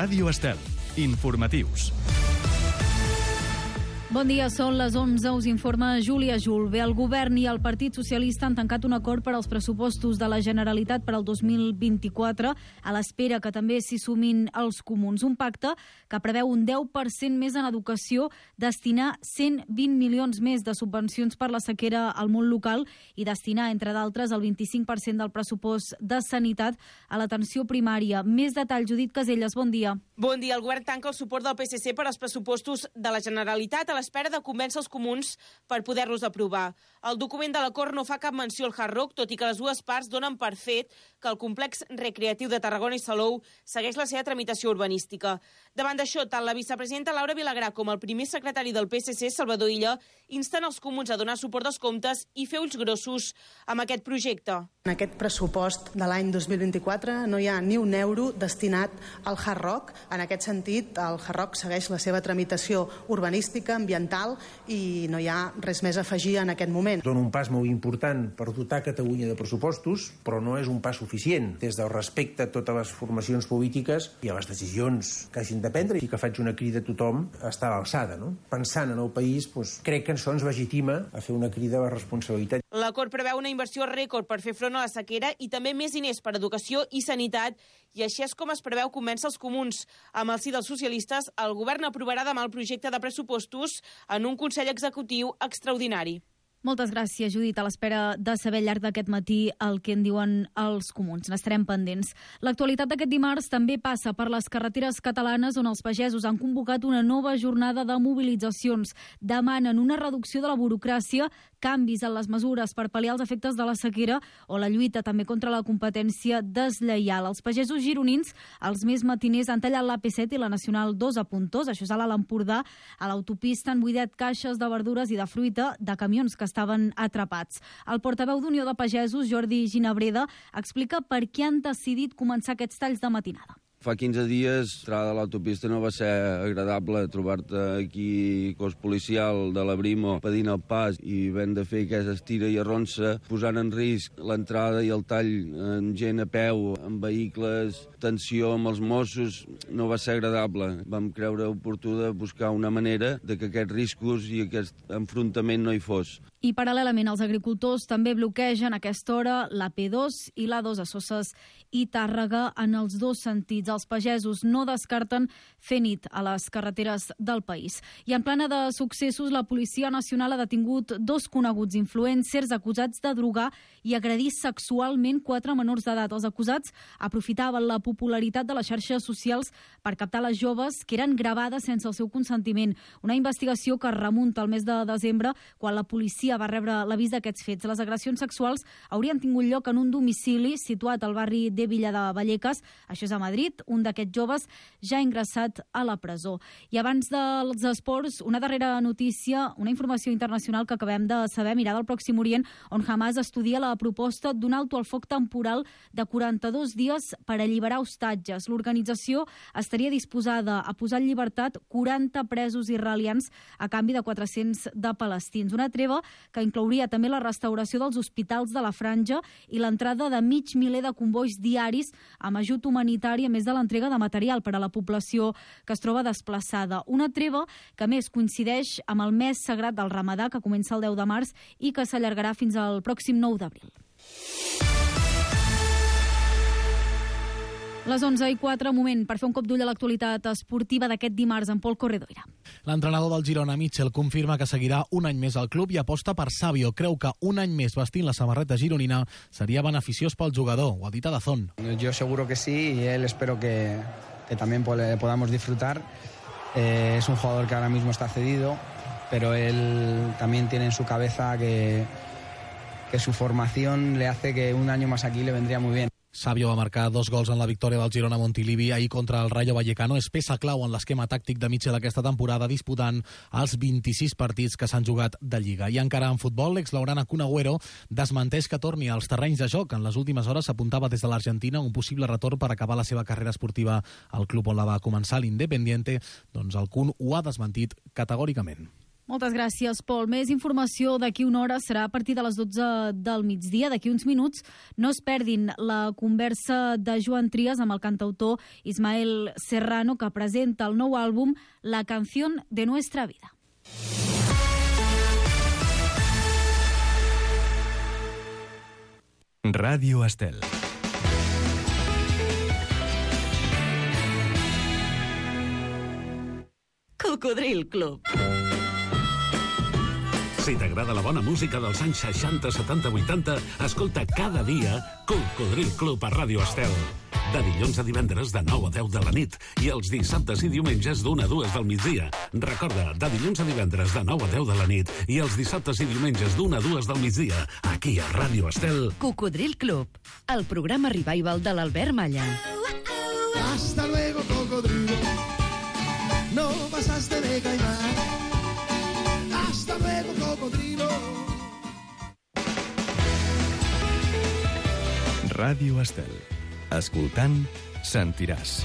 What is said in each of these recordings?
Ràdio Estel. Informatius. Bon dia, són les 11, us informa Júlia Julve. El govern i el Partit Socialista han tancat un acord per als pressupostos de la Generalitat per al 2024, a l'espera que també s'hi sumin els comuns. Un pacte que preveu un 10% més en educació, destinar 120 milions més de subvencions per la sequera al món local i destinar, entre d'altres, el 25% del pressupost de sanitat a l'atenció primària. Més detall, Judit Caselles, bon dia. Bon dia. El govern tanca el suport del PSC per als pressupostos de la Generalitat a l'espera de convèncer els comuns per poder-los aprovar. El document de l'acord no fa cap menció al Hard Rock, tot i que les dues parts donen per fet que el complex recreatiu de Tarragona i Salou segueix la seva tramitació urbanística. Davant d'això, tant la vicepresidenta Laura Vilagrà com el primer secretari del PSC, Salvador Illa, insten els comuns a donar suport als comptes i fer ulls grossos amb aquest projecte. En aquest pressupost de l'any 2024 no hi ha ni un euro destinat al Hard Rock. En aquest sentit, el Hard Rock segueix la seva tramitació urbanística, ambiental, i no hi ha res més a afegir en aquest moment. Dona un pas molt important per dotar Catalunya de pressupostos, però no és un pas suficient. Des del respecte a totes les formacions polítiques i a les decisions que hagin de prendre, i que faig una crida a tothom a estar a l'alçada, no? Pensant en el país, crec que això ens legitima a fer una crida a la responsabilitat. L'acord preveu una inversió rècord per fer front a la sequera i també més diners per educació i sanitat, i així és com es preveu convèncer els comuns. Amb el sí dels socialistes, el govern aprovarà demà el projecte de pressupostos en un Consell Executiu extraordinari. Moltes gràcies, Judit. A l'espera de saber al llarg d'aquest matí el que en diuen els comuns. N'estarem pendents. L'actualitat d'aquest dimarts també passa per les carreteres catalanes, on els pagesos han convocat una nova jornada de mobilitzacions. Demanen una reducció de la burocràcia, canvis en les mesures per pal·liar els efectes de la sequera o la lluita també contra la competència deslleial. Els pagesos gironins, els més matiners, han tallat l'AP7 i la Nacional 2 a Pontós, això és a l'Alt Empordà. A l'autopista han buidat caixes de verdures i de fruita de camions que estaven atrapats. El portaveu d'Unió de Pagesos, Jordi Ginabreda, explica per què han decidit començar aquests talls de matinada. Fa 15 dies, l'entrada de l'autopista no va ser agradable, trobar-te aquí cos policial de la Brimo pedint el pas i havent de fer aquesta estira i arronsa, posant en risc l'entrada i el tall amb gent a peu, amb vehicles, tensió amb els Mossos, no va ser agradable. Vam creure oportú de buscar una manera de que aquests riscos i aquest enfrontament no hi fos. I paral·lelament els agricultors també bloquegen a aquesta hora la P2 i la 2 a Soses i Tàrrega en els dos sentits. Els pagesos no descarten fer nit a les carreteres del país. I en plana de successos, la Policia Nacional ha detingut 2 coneguts influencers acusats de drogar i agredir sexualment 4 menors d'edat. Els acusats aprofitaven la popularitat de les xarxes socials per captar les joves que eren gravades sense el seu consentiment. Una investigació que remunta al mes de desembre, quan la policia va rebre l'avís d'aquests fets. Les agressions sexuals haurien tingut lloc en un domicili situat al barri de Villa de Vallecas, això és a Madrid. Un d'aquests joves ja ha ingressat a la presó. I abans dels esports, una darrera notícia, una informació internacional que acabem de saber, mirada al Pròxim Orient, on Hamas estudia la proposta d'un alto al foc temporal de 42 dies per alliberar hostatges. L'organització estaria disposada a posar en llibertat 40 presos israelians a canvi de 400 de palestins. Una treva que inclouria també la restauració dels hospitals de la Franja i l'entrada de 500.000 de convois diaris amb ajut humanitari, a més de l'entrega de material per a la població que es troba desplaçada. Una treva que més coincideix amb el mes sagrat del Ramadà, que comença el 10 de març i que s'allargarà fins al pròxim 9 d'abril. Les 11:04, moment per fer un cop d'ull a l'actualitat esportiva d'aquest dimarts amb Pol Corredoira. L'entrenador del Girona, Mitchell, confirma que seguirà un any més al club i aposta per Savio. Creu que un any més vestint la samarreta gironina seria beneficiós pel jugador. Ho ha dit a Dazón. Yo seguro que sí, y él espero que también podamos disfrutar. Es un jugador que ahora mismo está cedido, pero él también tiene en su cabeza que su formación le hace que un año más aquí le vendría muy bien. Savio va marcar 2 gols en la victòria del Girona Montilivi ahir contra el Rayo Vallecano. És peça clau en l'esquema tàctic de Mitchell aquesta temporada, disputant els 26 partits que s'han jugat de Lliga. I encara en futbol, l'exlaurana Kun Agüero desmenteix que torni als terrenys de joc. En les últimes hores s'apuntava des de l'Argentina un possible retorn per acabar la seva carrera esportiva al club on la va començar, l'Independiente. Doncs el Kun ho ha desmentit categòricament. Moltes gràcies, Pol. Més informació d'aquí una hora serà a partir de les 12 del migdia. D'aquí uns minuts no es perdin la conversa de Joan Trias amb el cantautor Ismael Serrano, que presenta el nou àlbum La canción de nuestra vida. Ràdio Estel. Cocodril Club. Si t'agrada la bona música dels anys 60, 70, 80, escolta cada dia Cocodril Club a Ràdio Estel. De dilluns a divendres de 9 a 10 de la nit i els dissabtes i diumenges d'1 a 2 del migdia. Recorda, de dilluns a divendres de 9 a 10 de la nit i els dissabtes i diumenges d'1 a 2 del migdia, aquí a Ràdio Estel. Cocodril Club, el programa revival de l'Albert Malla. Hasta luego, cocodrilo. No pasaste de caimán. Hasta luego, cocodrilo. Ràdio Estel. Escoltant, sentiràs.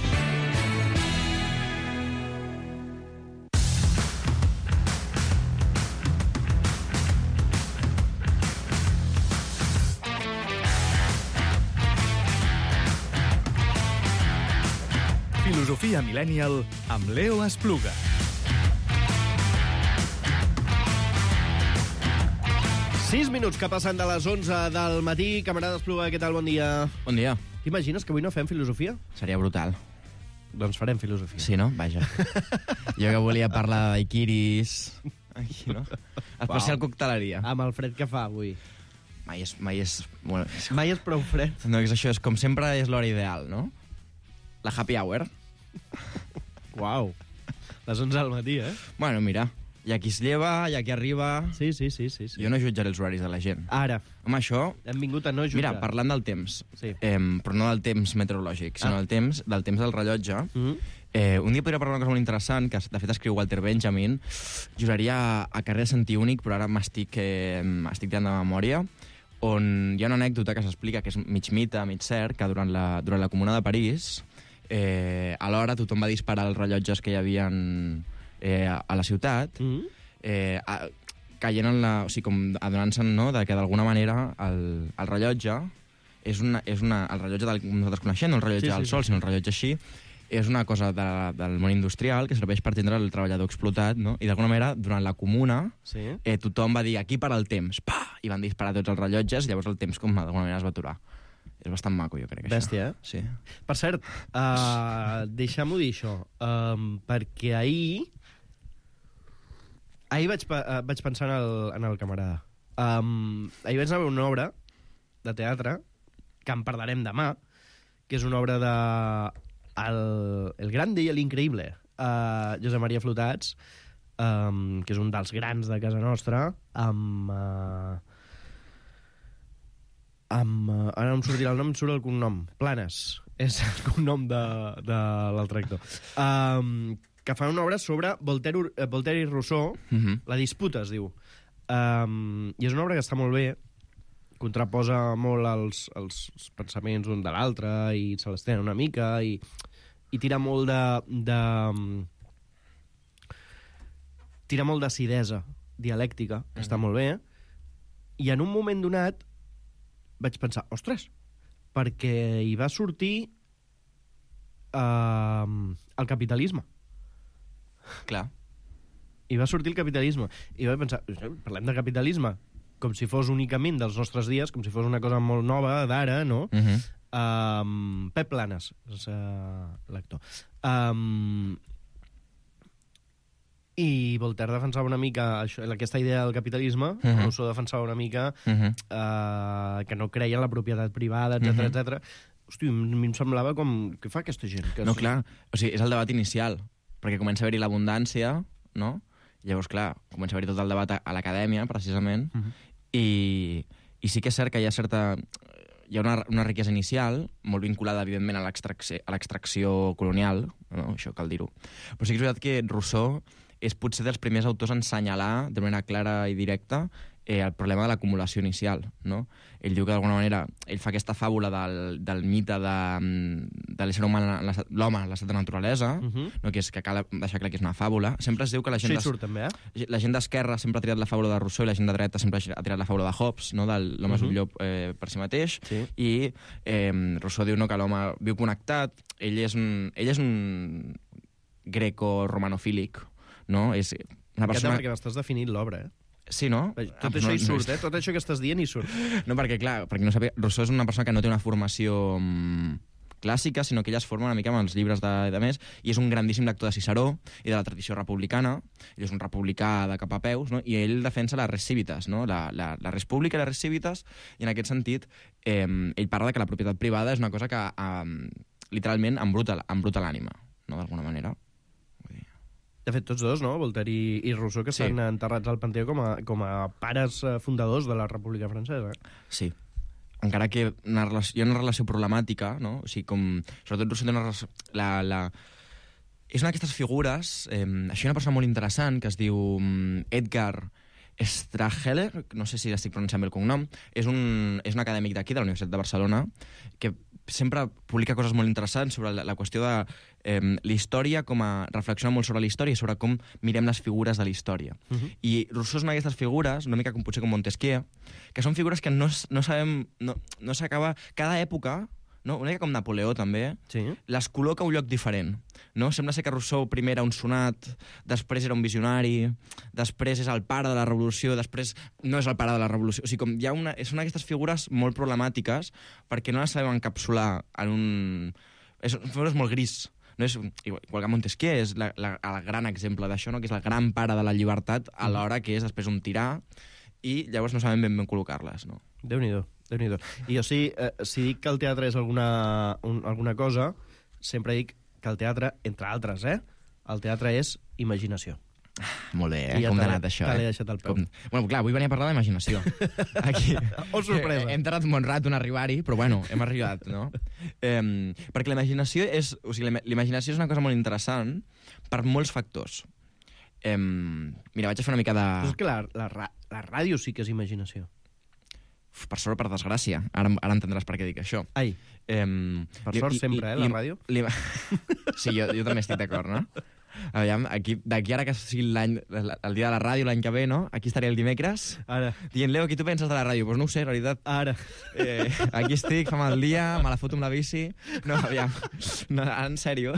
Filosofia Millennial amb Leo Espluga. Sis minuts que passen de les 11 del matí. Camarada Espluga, què tal? Bon dia. Bon dia. T'imagines que avui no fem filosofia? Seria brutal. Doncs farem filosofia. Sí, no? Vaja. Jo que volia parlar de daiquiris... Aquí, no? Especial cocteleria. Amb el fred que fa avui. Mai és... Bueno, Mai és prou fred. no, és això, és com sempre és l'hora ideal, no? La happy hour. Uau. Les 11 del matí, eh? Bueno, mira, hi ha qui es lleva, hi ha qui arriba... Sí. Jo no jutjaré els horaris de la gent. Ara. Home, això... Hem vingut a no jutjar. Mira, parlant del temps, Sí. però no del temps meteorològic, sinó del temps del rellotge, un dia podria parlar una cosa molt interessant, que de fet escriu Walter Benjamin, juraria a carrer sentir únic, però ara estic tirant de memòria, on hi ha una anècdota que s'explica, que és mig mite, mig cert, que durant la Comuna de París, alhora tothom va disparar els rellotges que hi havia a la ciutat, caient en la... O sigui, com adonant-se'n, no?, de que d'alguna manera el rellotge el rellotge del que nosaltres coneixem, no el rellotge del sol, sinó el rellotge així, és una cosa del món industrial que serveix per atendre el treballador explotat, no? I d'alguna manera, durant la Comuna, tothom va dir aquí per al temps, i van disparar tots els rellotges, i llavors el temps d'alguna manera es va aturar. És bastant maco, jo crec, això. Bèstia, eh? Sí. Per cert, deixem-ho dir, això, perquè ahir vaig pensar en el camarada. Ahir vaig anar a veure una obra de teatre, que en parlarem demà, que és una obra de El Grande y el Increíble, Josep Maria Flotats, que és un dels grans de casa nostra, ara no em sortirà el nom, em surt el cognom. Planes, és el cognom de l'altre actor. Que fa una obra sobre Voltaire i Rousseau, La disputa, es diu. I és una obra que està molt bé, contraposa molt els pensaments un de l'altre i se l'estén una mica i tira molt tira molt d'acidesa dialèctica, que està molt bé, i en un moment donat vaig pensar, ostres, perquè hi va sortir el capitalisme. Clar. Hi va sortir el capitalisme. I vaig pensar, parlem de capitalisme com si fos únicament dels nostres dies, com si fos una cosa molt nova, d'ara, no? Pep Planes és l'actor. I Voltaire defensava una mica aquesta idea del capitalisme, Rousseau defensava una mica que no creia en la propietat privada, etc. Hosti, a mi em semblava com... Què fa aquesta gent? No, clar, o sigui, és el debat inicial, perquè comença a haver-hi l'abundància, no? Llavors, clar, comença a haver-hi tot el debat a l'acadèmia, precisament, i sí que és cert que hi ha una riquesa inicial, molt vinculada, evidentment, a l'extracció colonial, no? Això cal dir-ho. Però sí que és veritat que Rousseau és potser dels primers autors a ensenyalar de manera clara i directa el problema de l'acumulació inicial, no? Ell diu que d'alguna manera ell fa aquesta fàbula del mite de l'ésser humà, l'home en l'estat de naturalesa, no? Que és que cal deixar clar que és una fàbula. Sempre es diu que la gent... Això hi surt també, La gent d'esquerra sempre ha triat la fàbula de Rousseau i la gent de dreta sempre ha triat la fàbula de Hobbes, no? De l'home és un llop per si mateix, i Rousseau diu que l'home viu connectat, ell és un greco-romanofílic, no? És una persona... Perquè m'estàs definint l'obra, Sí, no? Tot això hi surt, Tot això que estàs dient hi surt. No, perquè, clar, no sàpiga, Rousseau és una persona que no té una formació clàssica, sinó que ella es forma una mica amb els llibres de més, i és un grandíssim lector de Ciceró i de la tradició republicana. Ell és un republicà de cap a peus, no? I ell defensa la res civitas, no? La res pública i la res civitas, i en aquest sentit ell parla de que la propietat privada és una cosa que literalment embruta l'ànima, no? D'alguna manera. De fet, tots dos, no? Voltaire i Rousseau, que estan enterrats al Panteó com a pares fundadors de la República Francesa. Sí. Encara que hi ha una relació problemàtica, no? O sigui, sobretot Rousseau té una relació... És una d'aquestes figures... Això hi ha una persona molt interessant que es diu Edgar Straheler, no sé si estic pronunciant bé el cognom, és un acadèmic d'aquí, de la Universitat de Barcelona, que sempre publica coses molt interessants sobre la qüestió de la història, reflexiona molt sobre la història i sobre com mirem les figures de la història. I Rousseau és una d'aquestes figures, una mica potser com Montesquieu, que són figures que no sabem, no s'acaba... Cada època, no? Una mica com Napoleó, també, les col·loca a un lloc diferent. No? Sembla ser que Rousseau primer era un sonat, després era un visionari, després és el pare de la revolució, després no és el pare de la revolució. O sigui, són aquestes figures molt problemàtiques perquè no les sabem encapsular en un... Són figures molt gris. No és, igual que Montesquieu és el gran exemple d'això, no? Que és el gran pare de la llibertat, alhora que és després un tirà, i llavors no sabem ben col·locar-les. No? Déu-n'hi-do. I jo si dic que el teatre és alguna cosa, sempre dic que el teatre, entre altres, el teatre és imaginació. Molt bé, com t'ha anat això? Te l'he deixat al peu. Bueno, clar, avui venia a parlar d'imaginació. Aquí. Oh, sorpresa. Hem tardat molt rato en arribar-hi, però bueno, hem arribat, no? Perquè la imaginació és una cosa molt interessant per molts factors. Mira, vaig a fer una mica de... Però és que la ràdio sí que és imaginació. Per sort, per desgràcia. Ara entendràs per què dic això. Ai, per sort sempre, la ràdio? Sí, jo també estic d'acord, no? Aviam, d'aquí ara que sigui el dia de la ràdio l'any que ve, no? Aquí estaré el dimecres. Ara. Dient, Leo, què tu penses de la ràdio? Doncs no ho sé, en realitat. Ara. Aquí estic, fa mal dia, me la foto amb la bici. No, aviam. No, en sèrio.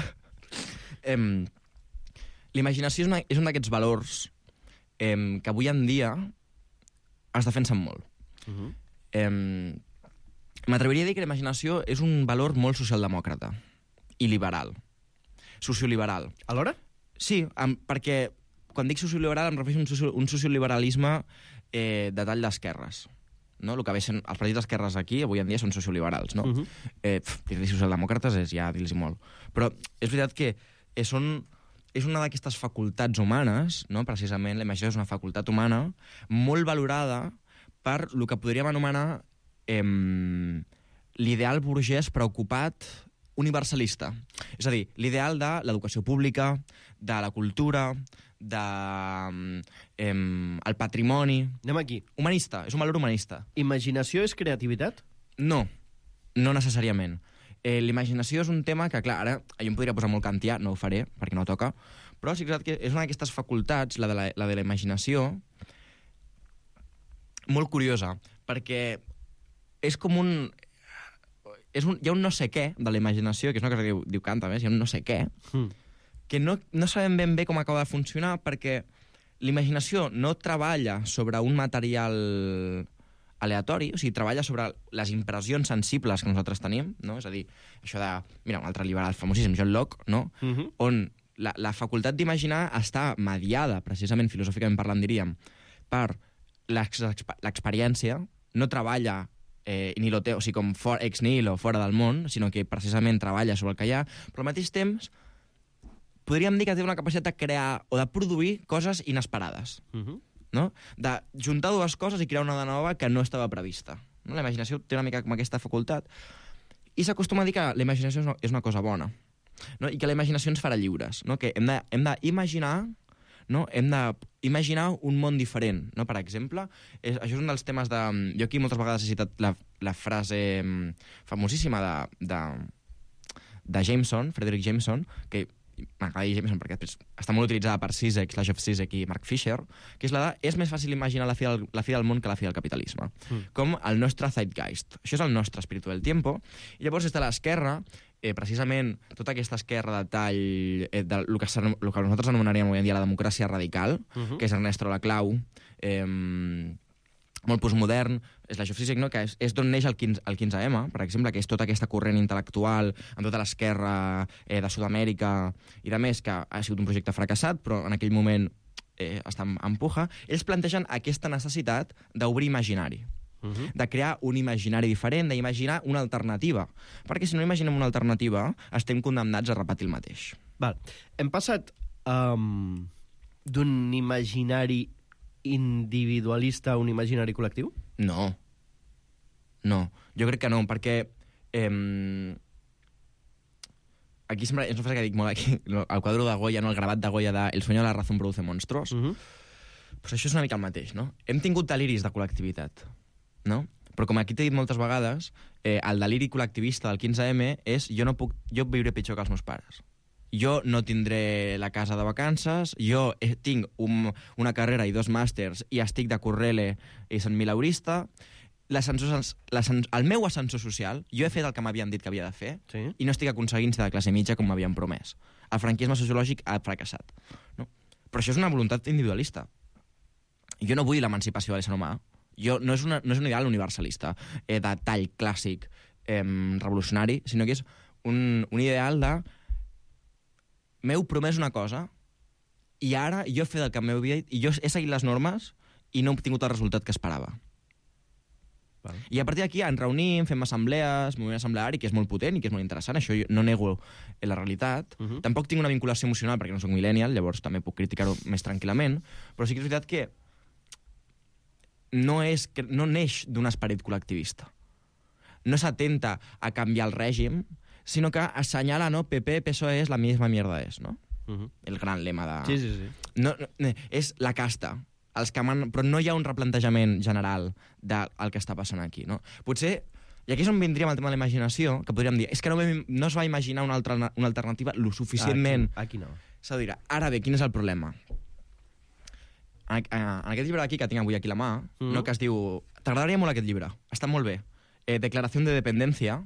L'imaginació és un d'aquests valors que avui en dia es defensen molt. M'atreviria a dir que la imaginació és un valor molt socialdemòcrata i liberal. Socioliberal. Alhora? Sí, perquè quan dic socioliberal em refereixo a un socioliberalisme de tall d'esquerres. No? El que ve sent, els partits d'esquerres aquí avui en dia són socioliberals. No? Dir-li socialdemòcrates és ja dir-los molt. Però és veritat que és una d'aquestes facultats humanes, no? Precisament la imaginació és una facultat humana molt valorada per el que podríem anomenar l'ideal burgès preocupat universalista. És a dir, l'ideal de l'educació pública, de la cultura, del patrimoni... Anem aquí. Humanista, és un valor humanista. Imaginació és creativitat? No, no necessàriament. L'imaginació és un tema que, clar, ara jo em podria posar molt kantià, no ho faré, perquè no toca, però sí que és una d'aquestes facultats, la de la imaginació, molt curiosa, perquè és com hi ha un no sé què de la imaginació, que és una cosa que diu Kant, a més, hi ha un no sé què, que no sabem ben bé com acaba de funcionar, perquè l'imaginació no treballa sobre un material aleatori, o sigui, treballa sobre les impressions sensibles que nosaltres tenim, no? És a dir, això de... Mira, un altre liberal famosíssim, John Locke, no? On la facultat d'imaginar està mediada, precisament filosòficament parlant, diríem, per l'experiència, no treballa o sigui, com ex nihilo, fora del món, sinó que precisament treballa sobre el que hi ha, però al mateix temps podríem dir que té una capacitat de crear o de produir coses inesperades. No? De juntar dues coses i crear una de nova que no estava prevista. No? La imaginació té una mica com aquesta facultat. I s'acostuma a dir que la imaginació és una cosa bona, no? I que la imaginació ens farà lliures. No? Que hem d'imaginar no? Hem d'imaginar un món diferent, no? Per exemple, això és un dels temes de... Jo aquí moltes vegades he citat la frase famosíssima de Jameson, Frederick Jameson, que m'agrada dir Jameson perquè després està molt utilitzada per Zizek, Slavoj Zizek i Mark Fisher, que és la de és més fàcil imaginar la fi del món que la fi del capitalisme. Com el nostre zeitgeist. Això és el nostre espíritu del tiempo. I llavors des de l'esquerra, precisament tota aquesta esquerra de tall, el que nosaltres anomenaríem avui en dia la democràcia radical, que és Ernesto Laclau, molt postmodern, és la Slavoj Zizek, no? Que és d'on neix el 15M, per exemple, que és tota aquesta corrent intel·lectual amb tota l'esquerra de Sud-amèrica i de més, que ha sigut un projecte fracassat, però en aquell moment està en puja. Ells plantegen aquesta necessitat d'obrir imaginari, de crear un imaginari diferent, d'imaginar una alternativa. Perquè si no imaginem una alternativa, estem condemnats a repetir el mateix. Val. Hem passat d'un imaginari individualista a un imaginari col·lectiu? No. No, jo crec que no, perquè aquí sempre és una frase que dic molt aquí, el quadre de Goya, no, el gravat de Goya de El sueño de la razón produce monstruos. Pues això és una mica el mateix, no? Hem tingut deliris de col·lectivitat, no? Però com aquí t'he dit moltes vegades, el deliri col·lectivista del 15M és jo viuré pitjor que els meus pares. Jo no tindré la casa de vacances, jo tinc una carrera i 2 màsters i estic de Correle i Sant Milaurista. El meu ascensor social, jo he fet el que m'havien dit que havia de fer i no estic aconseguint ser de classe mitja com m'havien promès. El franquisme sociològic ha fracassat. No? Però això és una voluntat individualista. Jo no vull l'emancipació de l'ésser humà. No és un ideal universalista de tall clàssic revolucionari, sinó que és un ideal de m'heu promès una cosa i ara jo he fet el que m'heu dit i jo he seguit les normes i no he obtingut el resultat que esperava. I a partir d'aquí ens reunim, fem assemblees, moviment assembleari, que és molt potent i que és molt interessant, això no nego la realitat. Tampoc tinc una vinculació emocional perquè no soc millennial, llavors també puc criticar-ho més tranquil·lament, però sí que és veritat que no neix d'un esperit col·lectivista. No s'atenta a canviar el règim, sino que assenyala, no, PP, PSOE es la misma mierda és, no? El gran lema de... Sí. No, és la casta, però no hi ha un replantejament general del que està passant aquí, no? Potser, i aquí és on vindríem el tema de la imaginació, que podríem dir, és que no es va imaginar una alternativa lo suficientment... Aquí no. S'ha de dir, ara bé, quin és el problema? En aquest llibre d'aquí, que tinc avui aquí a la mà, no, que es diu... T'agradaria molt aquest llibre, està molt bé. Declaració de dependència,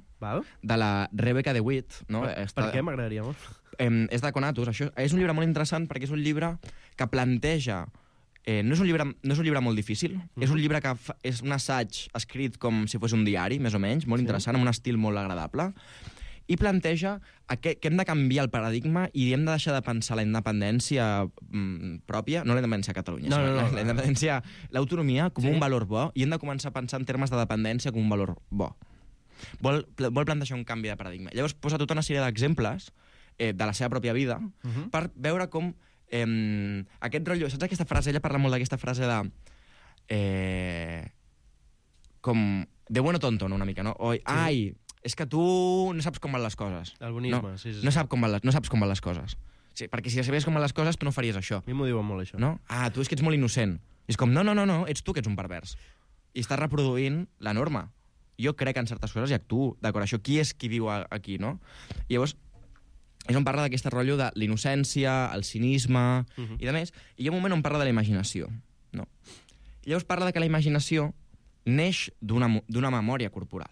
de la Rebecca DeWitt. No? Per què m'agradaria molt? És de Conatus. Això és un llibre molt interessant perquè és un llibre que planteja... No és un llibre molt difícil, és un llibre que és un assaig escrit com si fos un diari, més o menys, molt interessant, amb un estil molt agradable, i planteja que hem de canviar el paradigma i hem de deixar de pensar la independència pròpia, no la independència a Catalunya, la independència, l'autonomia com un valor bo, i hem de començar a pensar en termes de dependència com un valor bo. Vol plantejar un canvi de paradigma. Llavors posa tota una sèrie d'exemples de la seva pròpia vida per veure com aquest rotllo... Saps aquesta frase? Ella parla molt d'aquesta frase de... com... de bueno tonto, no? Una mica, no? Ai, és que tu no saps com van les coses. El bonisme, sí. No saps com van les coses. Sí, perquè si sabés com van les coses, tu no faries això. A mi m'ho diuen molt, això. No? Tu és que ets molt innocent. I és com, no, ets tu que ets un pervers. I estàs reproduint la norma. Jo crec en certes coses i actuo d'acord. Això, qui és qui viu aquí, no? I llavors, és on parla d'aquest rotllo de l'innocència, el cinisme i de més. I hi ha un moment on parla de la imaginació. No? I llavors parla de que la imaginació neix d'una memòria corporal,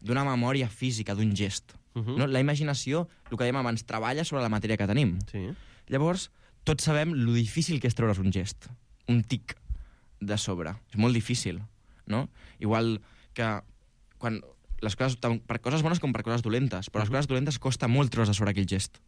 d'una memòria física, d'un gest. No? La imaginació, el que dèiem abans, treballa sobre la matèria que tenim. Llavors, tots sabem lo difícil que és treure's un gest, un tic de sobre. És molt difícil, no? Igual que quan... les coses, per coses bones com per coses dolentes, però les coses dolentes costa molt treure's de sobre aquell gest.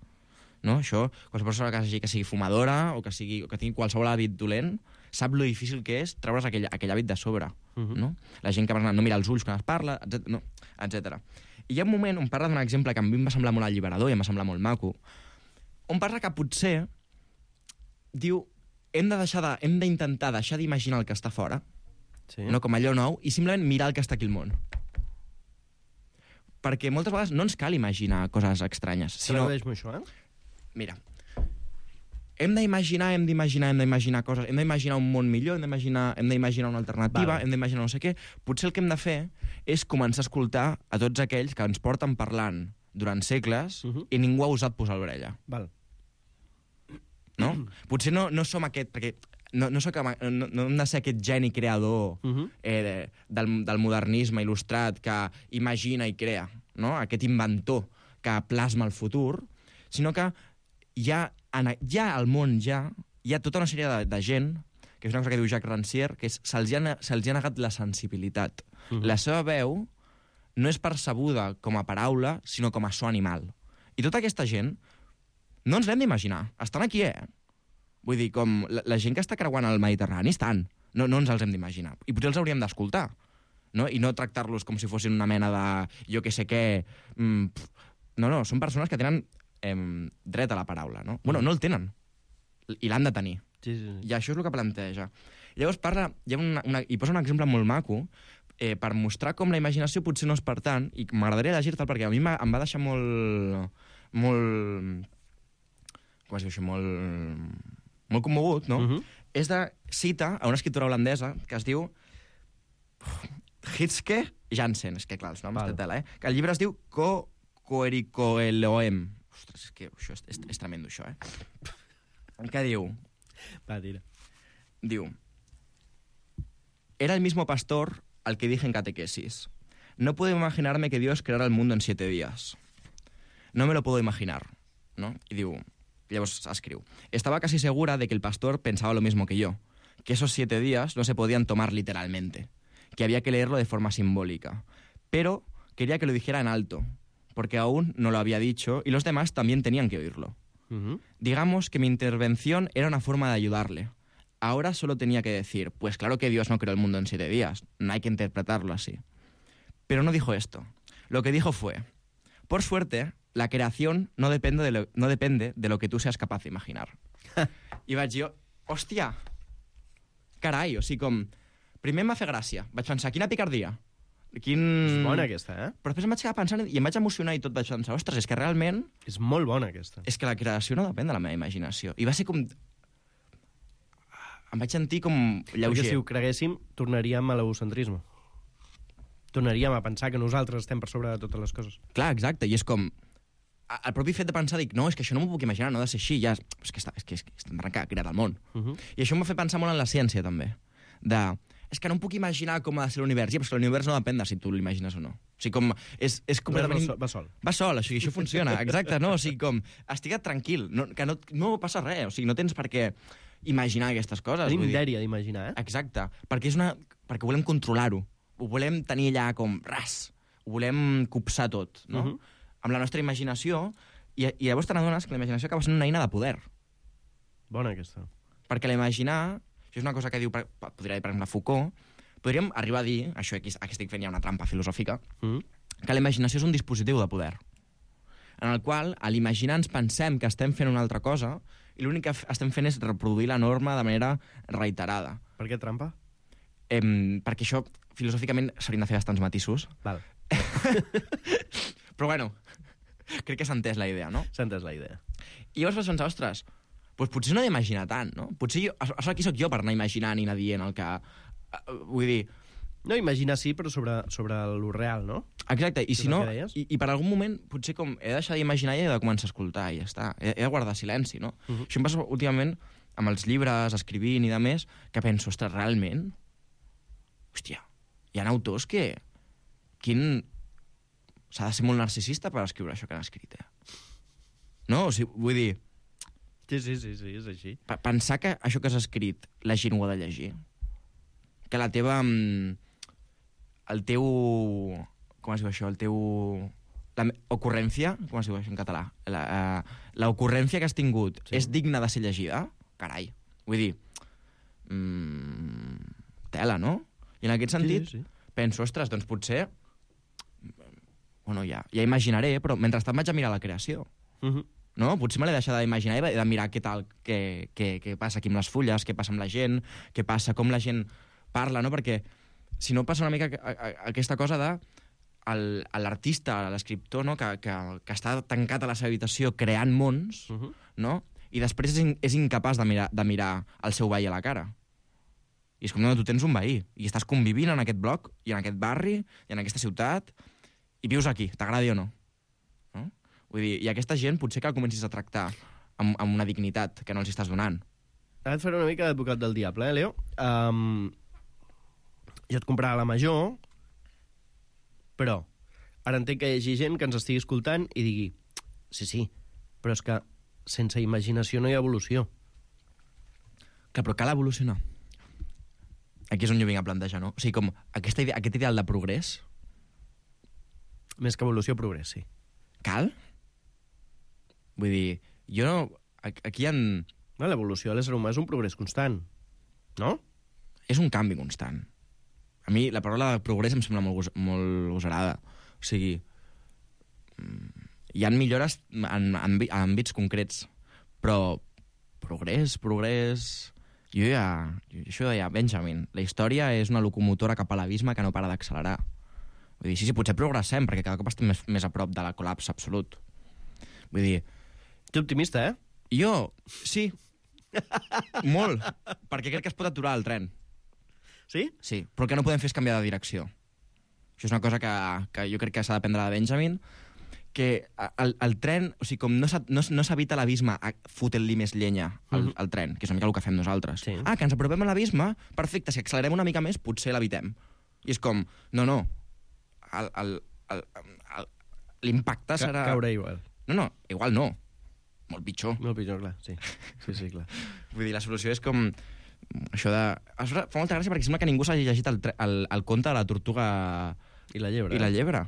No? Això, qualsevol persona que sigui fumadora o que tingui qualsevol hàbit dolent, sap lo difícil que és treure's aquell hàbit de sobre. No? La gent que no mira els ulls quan es parla, etc. I hi ha un moment on parla d'un exemple que a mi em va semblar molt alliberador i em va semblar molt maco, on parla que potser diu hem d'intentar deixar d'imaginar el que està fora, no com allò nou, i simplement mirar el que està aquí al món. Perquè moltes vegades no ens cal imaginar coses estranyes. Tradueix-m'ho això, Mira, hem d'imaginar coses, hem d'imaginar un món millor, hem d'imaginar una alternativa, hem d'imaginar no sé què. Potser el que hem de fer és començar a escoltar a tots aquells que ens porten parlant durant segles i ningú ha osat posar l'orella. Val. No? Potser no som aquest... Perquè no hem de ser aquest geni creador del modernisme il·lustrat que imagina i crea, no? Aquest inventor que plasma el futur, sinó que al món hi ha tota una sèrie de gent, que és una cosa que diu Jacques Rancière, que se'ls ha negat la sensibilitat. La seva veu no és percebuda com a paraula, sinó com a so animal. I tota aquesta gent no ens l'hem d'imaginar. Estan aquí, Vull dir, com la gent que està creuant el Mediterrani estan. No ens els hem d'imaginar. I potser els hauríem d'escoltar. No? I no tractar-los com si fossin una mena de jo que sé què... No, són persones que tenen dret a la paraula, no? Bueno, no el tenen. I l'han de tenir. Sí. I això és el que planteja. Llavors hi posa un exemple molt maco per mostrar com la imaginació potser no és per tant, i m'agradaria llegir-te'l perquè a mi em va deixar molt com es diu això? Molt commogut, no? És de cita a una escriptora holandesa que es diu Hitske Jansen. És que, clar, els noms de tela, que el llibre es diu Koerikoeloem. Ostres, és que això és tremendo, això, Què diu? Va, tira. Diu: Era el mismo pastor al que dije en catequesis. No puedo imaginarme que Dios creara el mundo en 7 días. No me lo puedo imaginar, ¿no? Y digo, llavors escriu: Estaba casi segura de que el pastor pensaba lo mismo que yo, que esos 7 días no se podían tomar literalmente, que había que leerlo de forma simbólica. Pero quería que lo dijera en alto, porque aún no lo había dicho y los demás también tenían que oírlo. Digamos que mi intervención era una forma de ayudarle. Ahora solo tenía que decir, pues claro que Dios no creó el mundo en 7 días, no hay que interpretarlo así. Pero no dijo esto. Lo que dijo fue, por suerte, la creación no depende de lo que tú seas capaz de imaginar. I vaig dir, hòstia, carai, o sigui, com... Primer em va fer gràcia, vaig pensar, quina picardia. És bona aquesta, Però després em vaig quedar pensant i em vaig emocionar i tot vaig pensar, ostres, és que realment... És molt bona aquesta. És que la creació no depèn de la meva imaginació. I va ser com... Em vaig sentir com lleuger. Perquè si ho creguéssim, tornaríem a l'egocentrisme. Tornaríem a pensar que nosaltres estem per sobre de totes les coses. Clar, exacte, i és com... El propi fet de pensar, dic, no, és que això no m'ho puc imaginar, no ha de ser així, ja... És que estem creat el món. I això m'ha fet pensar molt en la ciència, també. És que no em puc imaginar com ha de ser l'univers. Ja, però és que l'univers no depèn de si tu l'imagines o no. O sigui, com... És completament... Va sol. Va sol, o sigui, això funciona, exacte, no? O sigui, com... Estigua't tranquil, que no passa res, o sigui, no tens per què imaginar aquestes coses. Tenim dèria d'imaginar, Exacte, perquè volem controlar-ho. Ho volem tenir allà com ras. Ho volem copsar tot, no? Amb la nostra imaginació, i llavors te n'adones que la imaginació acaba sent una eina de poder. Bona, aquesta. Perquè l'imaginar, això és una cosa que diu, podria dir, per exemple, Foucault, podríem arribar a dir, això aquí estic fent ja una trampa filosòfica, que la imaginació és un dispositiu de poder, en el qual, a l'imaginar, ens pensem que estem fent una altra cosa i l'únic que estem fent és reproduir la norma de manera reiterada. Per què trampa? Perquè això, filosòficament, s'haurien de fer bastants matisos. Val. Però bueno, crec que s'ha entès la idea, no? S'ha entès la idea. I llavors vas pensar, ostres, doncs potser no he d'imaginar tant, no? Potser aquí sóc jo per anar imaginant i anar dient el que... Vull dir... No, imaginar sí, però sobre lo real, no? Exacte, i si no... I per algun moment, potser com he de deixar d'imaginar i he de començar a escoltar, i ja està. He de guardar silenci, no? Això em passa últimament amb els llibres, escrivint i de més, que penso, ostres, realment? Hòstia, hi ha autors que... S'ha de ser molt narcisista per escriure això que han escrit, No? O sigui, vull dir... Sí, és així. Pensar que això que has escrit la gent ho ha de llegir. Que la teva... El teu... Com es diu això? El teu... La ocurrència, com es diu això en català? La ocurrència que has tingut és digna de ser llegida? Carai. Vull dir... Tela, no? I en aquest sentit penso, ostres, doncs potser... Bueno, ja imaginaré, però mentrestant vaig a mirar la creació. No? Potser me l'he deixat d'imaginar i de mirar què tal, què passa aquí amb les fulles, què passa amb la gent, què passa, com la gent parla, no? Perquè si no passa una mica aquesta cosa de l'artista, l'escriptor, no? que està tancat a la seva habitació creant mons, no? i després és incapaç de mirar el seu veí a la cara. I és com, no, tu tens un veí, i estàs convivint en aquest bloc, i en aquest barri, i en aquesta ciutat, i vius aquí, t'agradi o no. Vull dir, i aquesta gent potser que el comencis a tractar amb una dignitat que no els estàs donant. Ara et faré una mica d'advocat del diable, Leo? Jo et comprava la major, però ara entenc que hi hagi gent que ens estigui escoltant i digui, sí, però és que sense imaginació no hi ha evolució. Clar, però cal evolucionar. Aquí és on jo vinc a plantejar, no? O sigui, com aquest ideal de progrés... Més que evolució, progrés, sí. Cal? Vull dir, jo no... Aquí hi ha... L'evolució de l'ésser humà és un progrés constant, no? És un canvi constant. A mi la paraula de progrés em sembla molt gosarada. O sigui, hi ha millores en àmbits concrets, però progrés... Això deia Benjamin. La història és una locomotora cap a l'abisme que no para d'accelerar. Vull dir, sí, potser progressem, perquè cada cop estem més a prop de la col·lapse absolut. Vull dir... Ets optimista, eh? Jo, sí. Molt. Perquè crec que es pot aturar el tren. Sí? Sí, però el que no podem fer és canviar de direcció. Això és una cosa que jo crec que s'ha d'aprendre de Benjamin, que el tren, o sigui, com no s'evita l'abisme fotent-li més llenya al tren, que és una mica el que fem nosaltres. Sí. Que ens apropem a l'abisme, perfecte, si accelerem una mica més, potser l'evitem. I és com, no, l'impacte serà... Caure igual. No, igual no. Molt pitjor. Molt pitjor, clar, sí. Sí, clar. Vull dir, la solució és com... Això de... Fa molta gràcia perquè sembla que ningú s'hagi llegit el conte de la tortuga... I la llebre. I la llebre.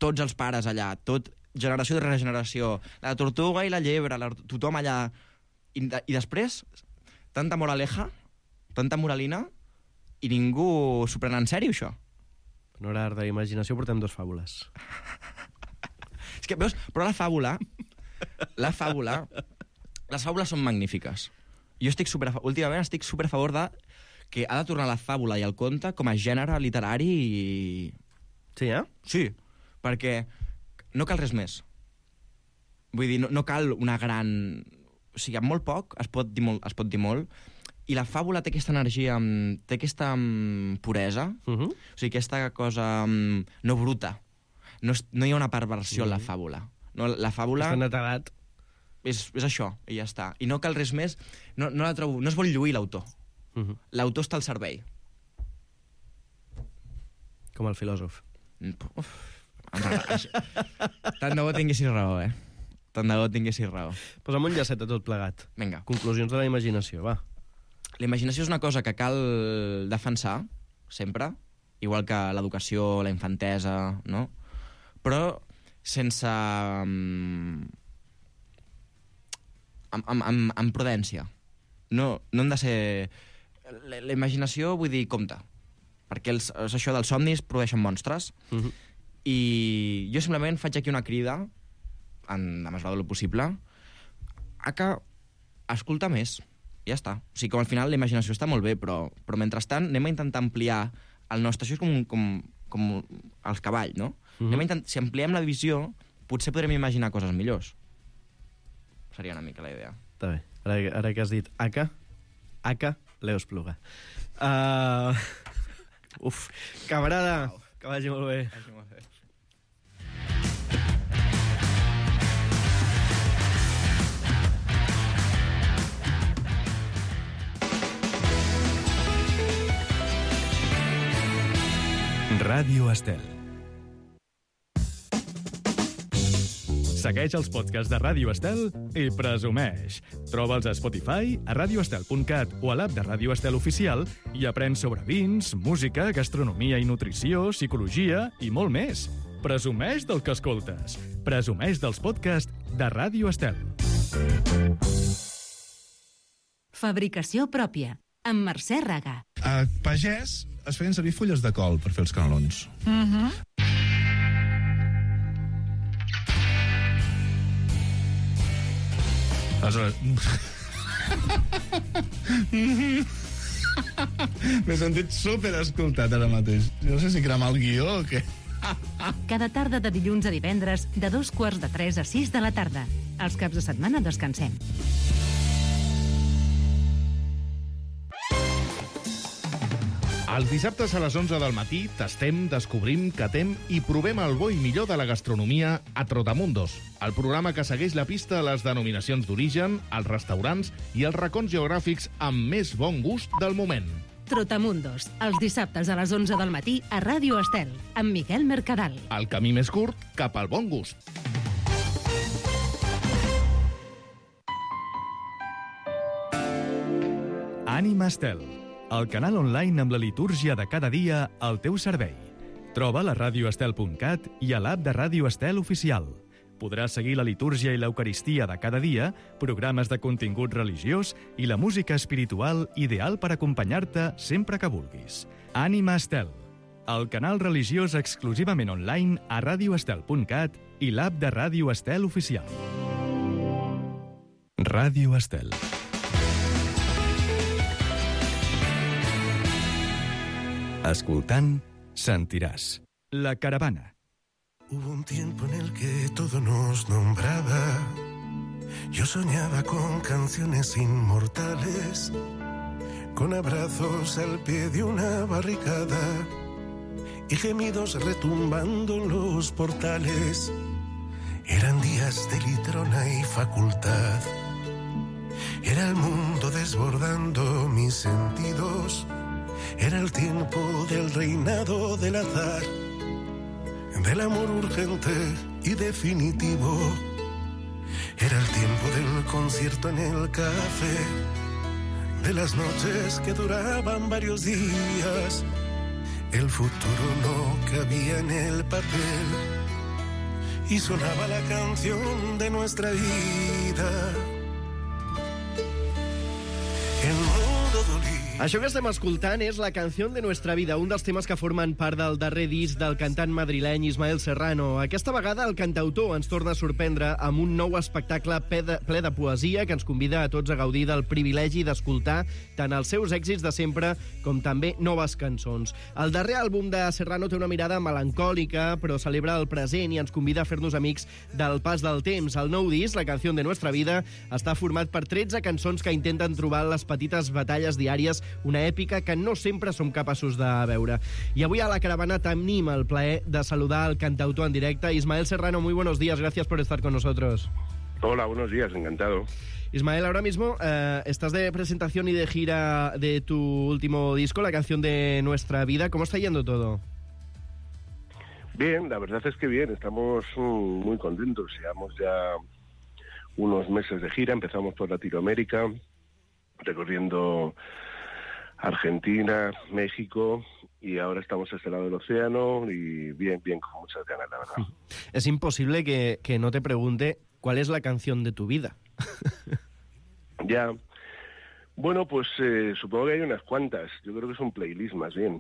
Tots els pares allà, tot generació de regeneració, la tortuga i la llebre, tothom allà. I després, tanta moraleja, tanta moralina, i ningú s'ho pren en sèrio, això. En hora d'imaginació portem 2 fàbules. És que, veus, però les fàbules són magnífiques. Jo últimament estic super a favor de que ha de tornar la fàbula i el conte com a gènere literari i... Sí, Sí, perquè no cal res més. Vull dir, no cal una gran... O sigui, amb molt poc es pot dir molt, i la fàbula té aquesta energia, té aquesta puresa, o sigui, aquesta cosa no bruta. No hi ha una perversió en la fàbula. No, la fàbula... Està netedat. És això, i ja està. I no cal res més. No la trobo... No es vol lluir l'autor. L'autor està al servei. Com el filòsof. Tant de bo tinguessis raó, Tant de bo tinguessis raó. Posa'm un llacet a tot plegat. Vinga. Conclusions de la imaginació, va. La imaginació és una cosa que cal defensar, sempre, igual que l'educació, la infantesa, no? Però sense... amb prudència. No hem de ser... La imaginació, vull dir, compte. Perquè és això dels somnis produeixen monstres. I jo simplement faig aquí una crida, en la mesura del possible, a que escolta més. Ja està. O sigui, com al final la imaginació està molt bé, però mentrestant anem a intentar ampliar el nostre... Això és com el cavall, no? Si ampliem la visió, potser podrem imaginar coses millors. Seria una mica la idea. Està bé. Ara que has dit Aka, Leo Espluga. Camarada, que vagi molt bé. Ràdio Estel. Segueix els podcasts de Ràdio Estel i presumeix. Troba'ls a Spotify, a radioestel.cat o a l'app de Ràdio Estel Oficial i aprèn sobre vins, música, gastronomia i nutrició, psicologia i molt més. Presumeix del que escoltes. Presumeix dels podcasts de Ràdio Estel. Fabricació pròpia, amb Mercè Raga. A Pagès es feien servir fulles de col per fer els canelons. Aleshores... M'he sentit superescoltat ara mateix. No sé si cremar el guió o què. Cada tarda de dilluns a divendres, de 2:45 a 6 de la tarda. Els caps de setmana descansem. Els dissabtes a les 11 del matí tastem, descobrim, catem i provem el bo i millor de la gastronomia a Trotamundos, el programa que segueix la pista a les denominacions d'origen, els restaurants i els racons geogràfics amb més bon gust del moment. Trotamundos, els dissabtes a les 11 del matí a Ràdio Estel, amb Miquel Mercadal. El camí més curt cap al bon gust. Ànima Estel, el canal online amb la litúrgia de cada dia al teu servei. Troba-la a radioestel.cat i a l'app de Ràdio Estel Oficial. Podràs seguir la litúrgia i l'eucaristia de cada dia, programes de contingut religiós i la música espiritual ideal per acompanyar-te sempre que vulguis. Ànima Estel, el canal religiós exclusivament online a radioestel.cat i l'app de Ràdio Estel Oficial. Ràdio Estel. Escoltant, sentiràs. La caravana. Hubo un tiempo en el que todo nos nombraba. Yo soñaba con canciones inmortales, con abrazos al pie de una barricada y gemidos retumbando en los portales. Eran días de litrona y facultad. Era el mundo desbordando mis sentidos. Era el tiempo del reinado del azar, del amor urgente y definitivo. Era el tiempo del concierto en el café, de las noches que duraban varios días. El futuro no cabía en el papel y sonaba la canción de nuestra vida. El mundo dolía. Això que estem escoltant és la canció de Nuestra Vida, un dels temes que formen part del darrer disc del cantant madrileny Ismael Serrano. Aquesta vegada el cantautor ens torna a sorprendre amb un nou espectacle ple de poesia que ens convida a tots a gaudir del privilegi d'escoltar tant els seus èxits de sempre com també noves cançons. El darrer àlbum de Serrano té una mirada melancòlica, però celebra el present i ens convida a fer-nos amics del pas del temps. El nou disc, la canció de Nuestra Vida, està format per 13 cançons que intenten trobar les petites batalles diàries, una èpica que no sempre som capaços de veure. I avui a la caravana tenim el plaer de saludar al cantautor en directe. Ismael Serrano, muy buenos días, gracias por estar con nosotros. Hola, buenos días, encantado. Ismael, ahora mismo estás de presentación y de gira de tu último disco, la canción de Nuestra Vida. ¿Cómo está yendo todo? Bien, la verdad es que bien, estamos muy contentos. Llevamos ya unos meses de gira, empezamos por Latinoamérica, recorriendo Argentina, México, y ahora estamos a este lado del océano y bien, con muchas ganas, la verdad. Es imposible que no te pregunte cuál es la canción de tu vida. Ya. Bueno, pues supongo que hay unas cuantas. Yo creo que es un playlist más bien.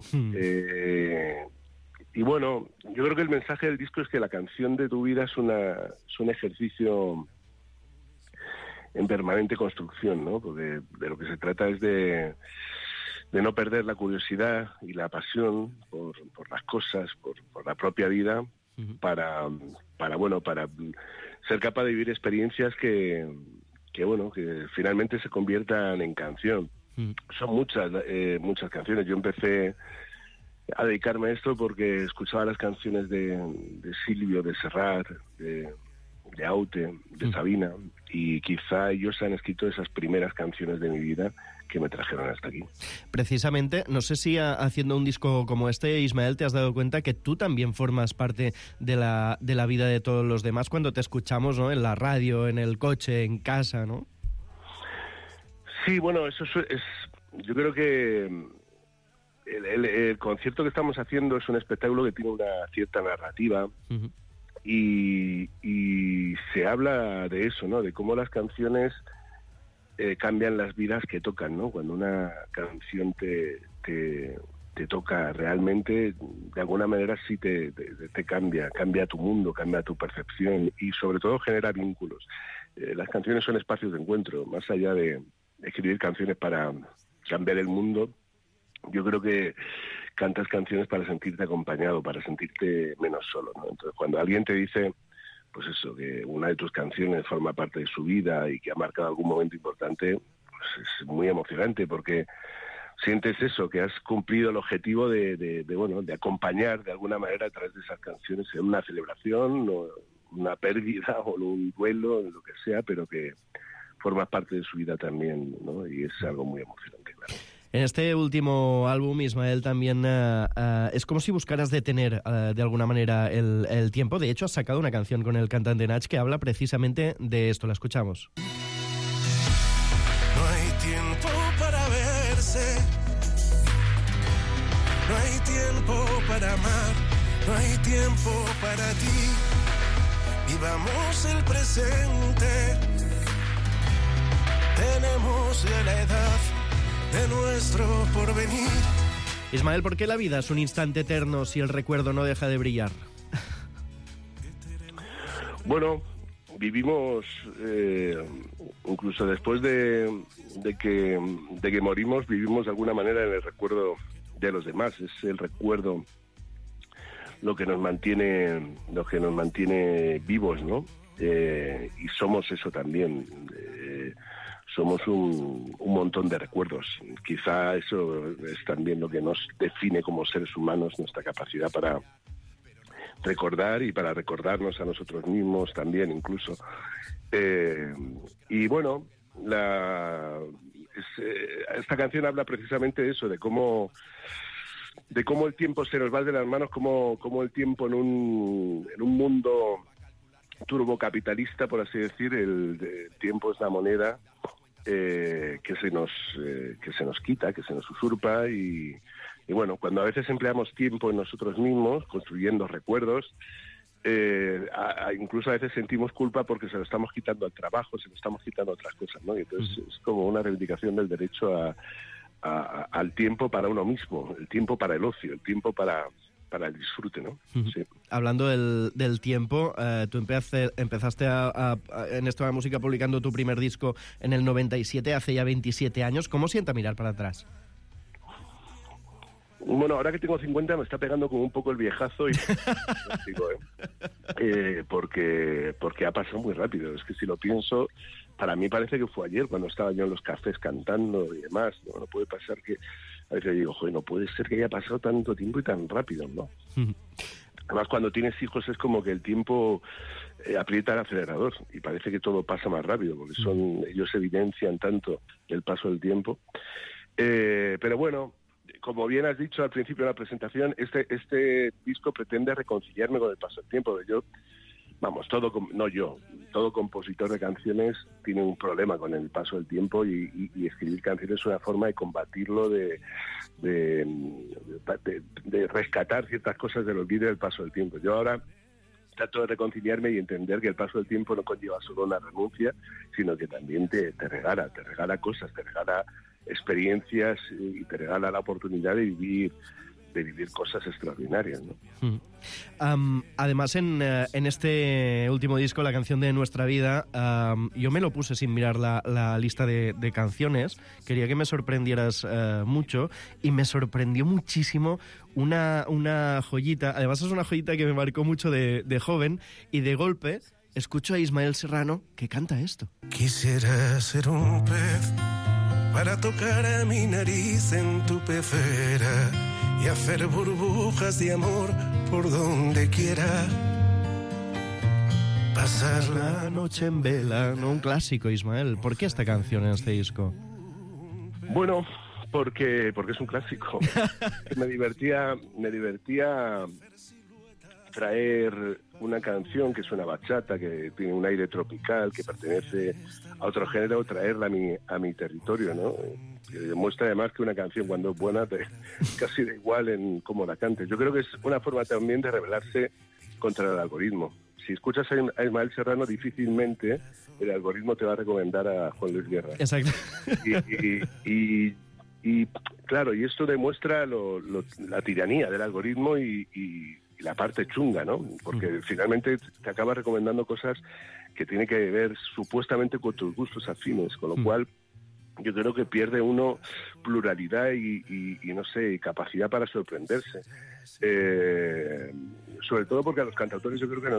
Y bueno, yo creo que el mensaje del disco es que la canción de tu vida es un ejercicio en permanente construcción, ¿no? Porque de lo que se trata es de no perder la curiosidad y la pasión por las cosas, por la propia vida, para ser capaz de vivir experiencias que finalmente se conviertan en canción. Son muchas canciones. Yo empecé a dedicarme a esto porque escuchaba las canciones de Silvio, de Serrat, de Aute, de Sabina, y quizá ellos han escrito esas primeras canciones de mi vida que me trajeron hasta aquí. Precisamente, no sé si haciendo un disco como este, Ismael, te has dado cuenta que tú también formas parte de la vida de todos los demás cuando te escuchamos, ¿no? En la radio, en el coche, en casa, ¿no? Sí, bueno, eso es yo creo que el concierto que estamos haciendo es un espectáculo que tiene una cierta narrativa. Y se habla de eso, ¿no? De cómo las canciones cambian las vidas que tocan, ¿no? Cuando una canción te toca realmente, de alguna manera sí te cambia tu mundo, cambia tu percepción y sobre todo genera vínculos. Las canciones son espacios de encuentro, más allá de escribir canciones para cambiar el mundo. Yo creo que cantas canciones para sentirte acompañado, para sentirte menos solo, ¿no? Entonces, cuando alguien te dice, pues eso, que una de tus canciones forma parte de su vida y que ha marcado algún momento importante, pues es muy emocionante porque sientes eso, que has cumplido el objetivo de acompañar de alguna manera a través de esas canciones en una celebración, o una pérdida o un duelo, lo que sea, pero que formas parte de su vida también, ¿no? Y es algo muy emocionante, claro. En este último álbum, Ismael, también es como si buscaras detener de alguna manera el tiempo. De hecho, has sacado una canción con el cantante Nach que habla precisamente de esto. La escuchamos. No hay tiempo para verse, no hay tiempo para amar, no hay tiempo para ti. Vivamos el presente, tenemos ya la edad de nuestro porvenir. Ismael, ¿por qué la vida es un instante eterno si el recuerdo no deja de brillar? Bueno, vivimos, incluso después de que morimos, vivimos de alguna manera en el recuerdo de los demás. Es el recuerdo lo que nos mantiene vivos, ¿no? Y somos eso también. Somos un montón de recuerdos. Quizá eso es también lo que nos define como seres humanos, nuestra capacidad para recordar y para recordarnos a nosotros mismos también, incluso. Y bueno, esta canción habla precisamente de eso, de cómo el tiempo se nos va de las manos, como el tiempo en un mundo turbocapitalista, por así decir, el tiempo es la moneda que se nos quita, que se nos usurpa y bueno, cuando a veces empleamos tiempo en nosotros mismos, construyendo recuerdos, incluso a veces sentimos culpa porque se lo estamos quitando al trabajo, se lo estamos quitando a otras cosas, ¿no? Y entonces es como una reivindicación del derecho al tiempo para uno mismo, el tiempo para el ocio, el tiempo para el disfrute, ¿no? Sí. Hablando del tiempo, tú empezaste en esto de la música publicando tu primer disco en el 97, hace ya 27 años. ¿Cómo sienta mirar para atrás? Bueno, ahora que tengo 50 me está pegando como un poco el viejazo y porque ha pasado muy rápido. Es que si lo pienso, para mí parece que fue ayer cuando estaba yo en los cafés cantando y demás. No puede pasar que... A veces digo, joder, no puede ser que haya pasado tanto tiempo y tan rápido, ¿no? Además, cuando tienes hijos es como que el tiempo aprieta el acelerador y parece que todo pasa más rápido, porque ellos evidencian tanto el paso del tiempo. Pero bueno, como bien has dicho al principio de la presentación, este disco pretende reconciliarme con el paso del tiempo. Todo compositor de canciones tiene un problema con el paso del tiempo y escribir canciones es una forma de combatirlo, de rescatar ciertas cosas del olvido del paso del tiempo. Yo ahora trato de reconciliarme y entender que el paso del tiempo no conlleva solo una renuncia, sino que también te regala cosas, te regala experiencias y te regala la oportunidad de vivir cosas extraordinarias, ¿no? Además, en este último disco, la canción de Nuestra Vida, yo me lo puse sin mirar la lista de canciones. Quería que me sorprendieras mucho y me sorprendió muchísimo una joyita. Además, es una joyita que me marcó mucho de joven y de golpe escucho a Ismael Serrano que canta esto. Quisiera ser un pez para tocar a mi nariz en tu pecera y hacer burbujas de amor por donde quiera. Pasar la noche en vela, ¿no? Un clásico, Ismael. ¿Por qué esta canción en este disco? Bueno, porque es un clásico. me divertía traer una canción que es una bachata, que tiene un aire tropical, que pertenece a otro género, traerla a mi territorio, ¿no? Que demuestra además que una canción, cuando es buena, casi da igual en cómo la cantes. Yo creo que es una forma también de rebelarse contra el algoritmo. Si escuchas a Ismael Serrano, difícilmente el algoritmo te va a recomendar a Juan Luis Guerra. Exacto. Y claro, y esto demuestra la tiranía del algoritmo y la parte chunga, ¿no? Porque finalmente te acaba recomendando cosas que tienen que ver supuestamente con tus gustos afines, con lo cual yo creo que pierde uno pluralidad y no sé, capacidad para sorprenderse. sobre todo porque a los cantautores yo creo que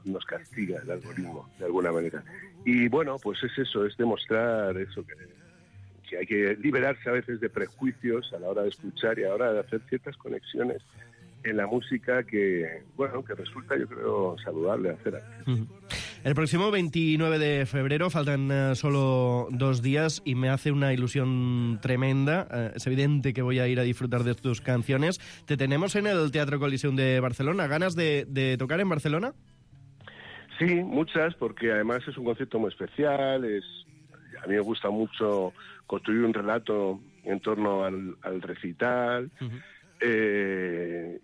nos castiga el algoritmo, de alguna manera. Y bueno, pues es eso, es demostrar eso, que hay que liberarse a veces de prejuicios a la hora de escuchar y a la hora de hacer ciertas conexiones en la música que, bueno, que resulta, yo creo, saludable hacer. El próximo 29 de febrero, faltan solo 2 días y me hace una ilusión tremenda. Es evidente que voy a ir a disfrutar de tus canciones. Te tenemos en el Teatro Coliseum de Barcelona. ¿Ganas de tocar en Barcelona? Sí, muchas, porque además es un concierto muy especial. A mí me gusta mucho construir un relato en torno al recital.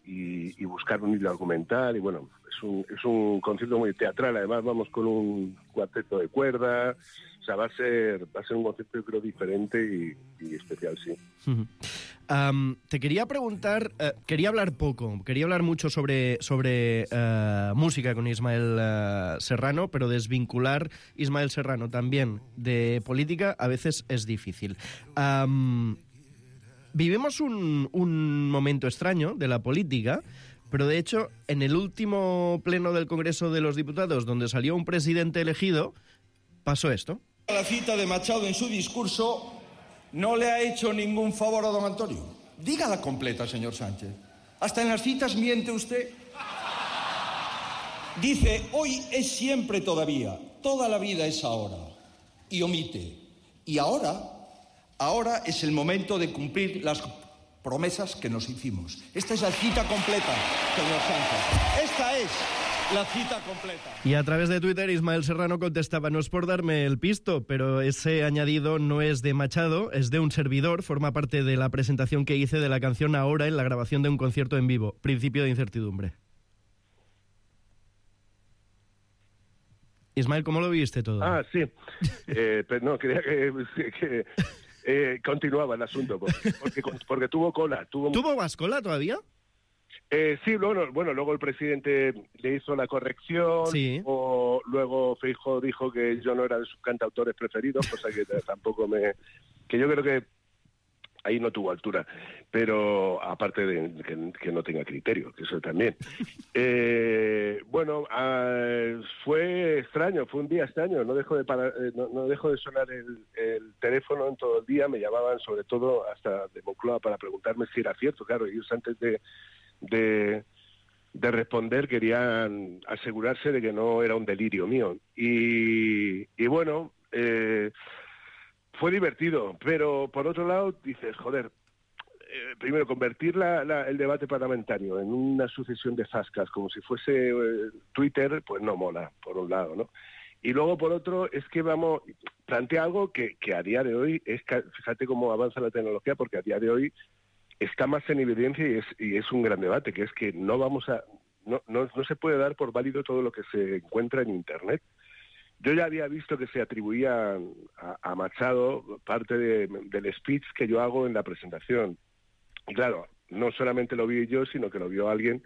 Y buscar un hilo argumental, y bueno, es un concierto muy teatral. Además vamos con un cuarteto de cuerda, o sea, va a ser un concierto, yo creo, diferente y especial, sí. Te quería preguntar, quería hablar mucho sobre música con Ismael Serrano, pero desvincular Ismael Serrano también de política a veces es difícil. Vivimos un momento extraño de la política, pero de hecho, en el último pleno del Congreso de los Diputados, donde salió un presidente elegido, pasó esto. La cita de Machado en su discurso no le ha hecho ningún favor a don Antonio. Dígala completa, señor Sánchez. Hasta en las citas miente usted. Dice, hoy es siempre todavía, toda la vida es ahora. Y omite, y ahora es el momento de cumplir las promesas que nos hicimos. Esta es la cita completa, señor Sánchez. Esta es la cita completa. Y a través de Twitter, Ismael Serrano contestaba: no es por darme el pisto, pero ese añadido no es de Machado, es de un servidor, forma parte de la presentación que hice de la canción Ahora en la grabación de un concierto en vivo. Principio de incertidumbre. Ismael, ¿cómo lo viste todo? Ah, sí. Pero no, quería que continuaba el asunto, porque tuvo cola. ¿Tuvo más cola todavía? Sí, bueno, luego el presidente le hizo la corrección, sí. O luego Feijóo dijo que yo no era de sus cantautores preferidos, cosa que tampoco que yo creo que ahí no tuvo altura, pero aparte de que no tenga criterio, que eso también. Bueno, fue extraño, fue un día extraño, no dejó de sonar el teléfono en todo el día, me llamaban sobre todo hasta de Moncloa para preguntarme si era cierto, claro, ellos antes de responder querían asegurarse de que no era un delirio mío. Y bueno, fue divertido, pero por otro lado dices, joder, primero convertir el debate parlamentario en una sucesión de zascas como si fuese Twitter, pues no mola, por un lado, ¿no? Y luego, por otro, es que plantea algo que a día de hoy, fíjate cómo avanza la tecnología, porque a día de hoy está más en evidencia y es un gran debate, que es que no se puede dar por válido todo lo que se encuentra en Internet. Yo ya había visto que se atribuía a Machado parte del speech que yo hago en la presentación. Y claro, no solamente lo vi yo, sino que lo vio alguien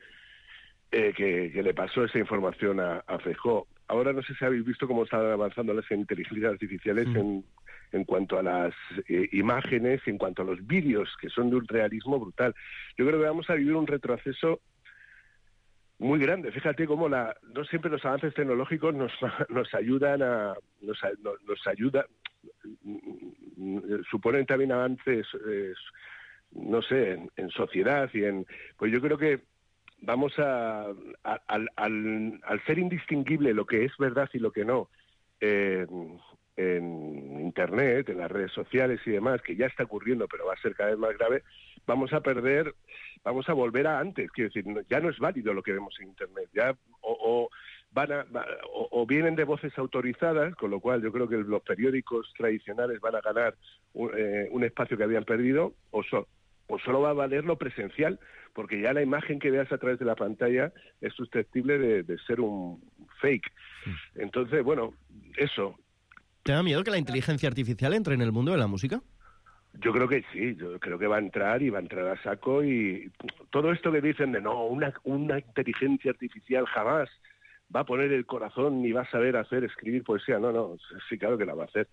que le pasó esa información a Feijóo. Ahora no sé si habéis visto cómo están avanzando las inteligencias artificiales en cuanto a las imágenes, en cuanto a los vídeos, que son de un realismo brutal. Yo creo que vamos a vivir un retroceso muy grande. Fíjate cómo no siempre los avances tecnológicos nos ayudan suponen también avances, no sé, en sociedad pues yo creo que vamos al ser indistinguible lo que es verdad y lo que no en Internet, en las redes sociales y demás, que ya está ocurriendo, pero va a ser cada vez más grave, vamos a volver a antes. Quiero decir, ya no es válido lo que vemos en Internet, ya o vienen de voces autorizadas, con lo cual yo creo que los periódicos tradicionales van a ganar un espacio que habían perdido, o solo va a valer lo presencial, porque ya la imagen que veas a través de la pantalla es susceptible de ser un fake. Entonces, bueno, eso. ¿Te da miedo que la inteligencia artificial entre en el mundo de la música? Yo creo que sí, yo creo que va a entrar a saco, y todo esto que dicen de no, una inteligencia artificial jamás va a poner el corazón ni va a saber escribir poesía. No, sí, claro que la va a hacer.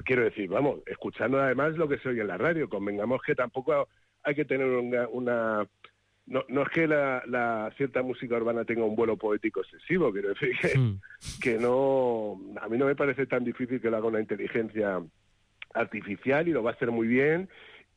Quiero decir, vamos, escuchando además lo que se oye en la radio, convengamos que tampoco hay que tener no es que la cierta música urbana tenga un vuelo poético excesivo, quiero decir que no, a mí no me parece tan difícil que lo haga una inteligencia artificial y lo va a hacer muy bien,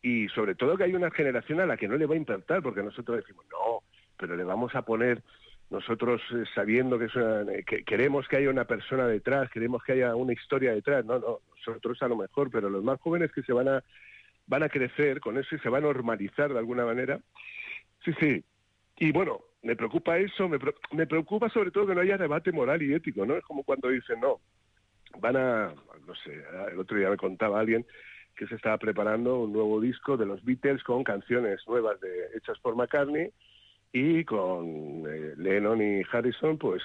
y sobre todo que hay una generación a la que no le va a impactar, porque nosotros decimos, no, pero le vamos a poner, nosotros sabiendo que queremos que haya una persona detrás, queremos que haya una historia detrás, no, nosotros a lo mejor, pero los más jóvenes que se van a crecer con eso y se va a normalizar de alguna manera. Sí, y bueno, me preocupa eso, me preocupa sobre todo que no haya debate moral y ético, ¿no? Es como cuando dicen, no sé, el otro día me contaba alguien que se estaba preparando un nuevo disco de los Beatles con canciones nuevas hechas por McCartney y con Lennon y Harrison, pues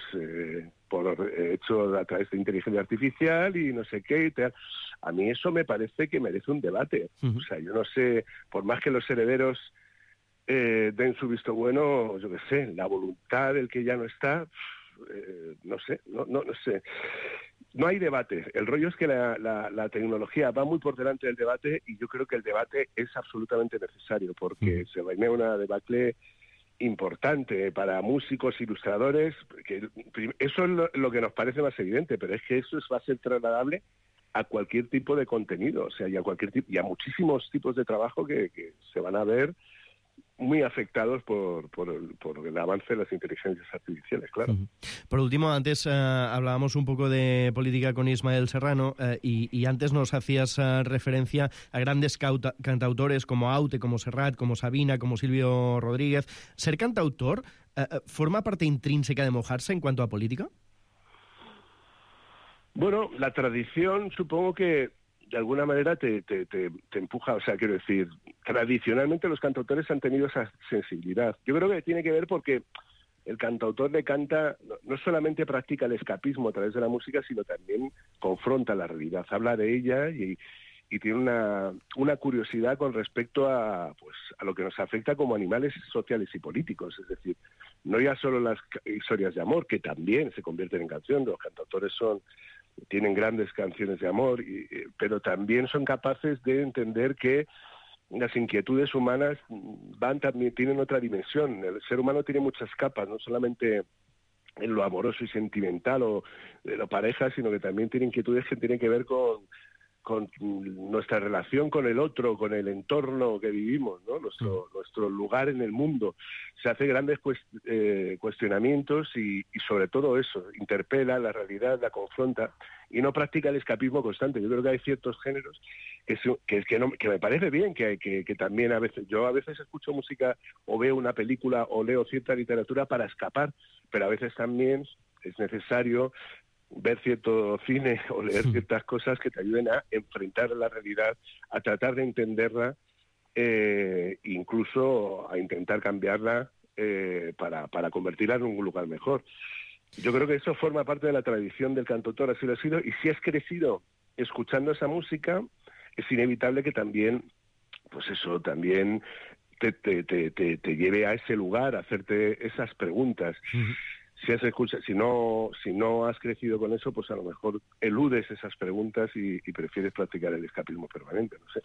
hecho a través de inteligencia artificial y no sé qué y tal. A mí eso me parece que merece un debate. O sea, yo no sé, por más que los herederos den su visto bueno, yo qué sé, la voluntad del que ya no está, no sé. No hay debate. El rollo es que la tecnología va muy por delante del debate y yo creo que el debate es absolutamente necesario porque se va a ir una debacle importante para músicos, ilustradores, que eso es lo que nos parece más evidente, pero es que eso va a ser trasladable a cualquier tipo de contenido, o sea, y a muchísimos tipos de trabajo que se van a ver muy afectados por el avance de las inteligencias artificiales, claro. Por último, antes hablábamos un poco de política con Ismael Serrano y antes nos hacías referencia a grandes cantautores como Aute, como Serrat, como Sabina, como Silvio Rodríguez. ¿Ser cantautor forma parte intrínseca de Mojarse en cuanto a política? Bueno, la tradición supongo que de alguna manera te empuja, o sea, quiero decir, tradicionalmente los cantautores han tenido esa sensibilidad. Yo creo que tiene que ver porque el cantautor le canta, no solamente practica el escapismo a través de la música, sino también confronta la realidad, habla de ella y tiene una curiosidad con respecto a lo que nos afecta como animales sociales y políticos, es decir, no ya solo las historias de amor, que también se convierten en canción, los cantautores tienen grandes canciones de amor, pero también son capaces de entender que las inquietudes humanas también tienen otra dimensión. El ser humano tiene muchas capas, no solamente en lo amoroso y sentimental o de la pareja, sino que también tiene inquietudes que tienen que ver con nuestra relación con el otro, con el entorno que vivimos, ¿no? Nuestro lugar en el mundo. Se hace grandes cuestionamientos y sobre todo eso, interpela la realidad, la confronta y no practica el escapismo constante. Yo creo que hay ciertos géneros que me parece bien, que también a veces escucho música o veo una película o leo cierta literatura para escapar, pero a veces también es necesario ver cierto cine o leer ciertas cosas que te ayuden a enfrentar la realidad, a tratar de entenderla, incluso a intentar cambiarla para convertirla en un lugar mejor. Yo creo que eso forma parte de la tradición del cantautor, así lo ha sido, y si has crecido escuchando esa música, es inevitable que también, pues eso, también te lleve a ese lugar, a hacerte esas preguntas. Si no has crecido con eso, pues a lo mejor eludes esas preguntas y prefieres practicar el escapismo permanente, no sé.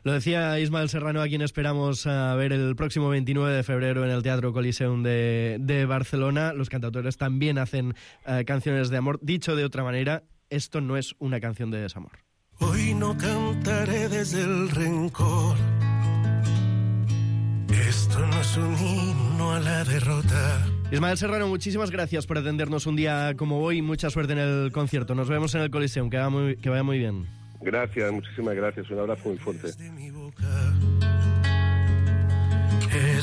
Lo decía Ismael Serrano, a quien esperamos a ver el próximo 29 de febrero en el Teatro Coliseum de Barcelona. Los cantautores también hacen canciones de amor. Dicho de otra manera, esto no es una canción de desamor. Hoy no cantaré desde el rencor. Esto no es un himno a la derrota. Ismael Serrano, muchísimas gracias por atendernos un día como hoy y mucha suerte en el concierto. Nos vemos en el Coliseum, que vaya muy bien. Gracias, muchísimas gracias. Un abrazo muy fuerte. Es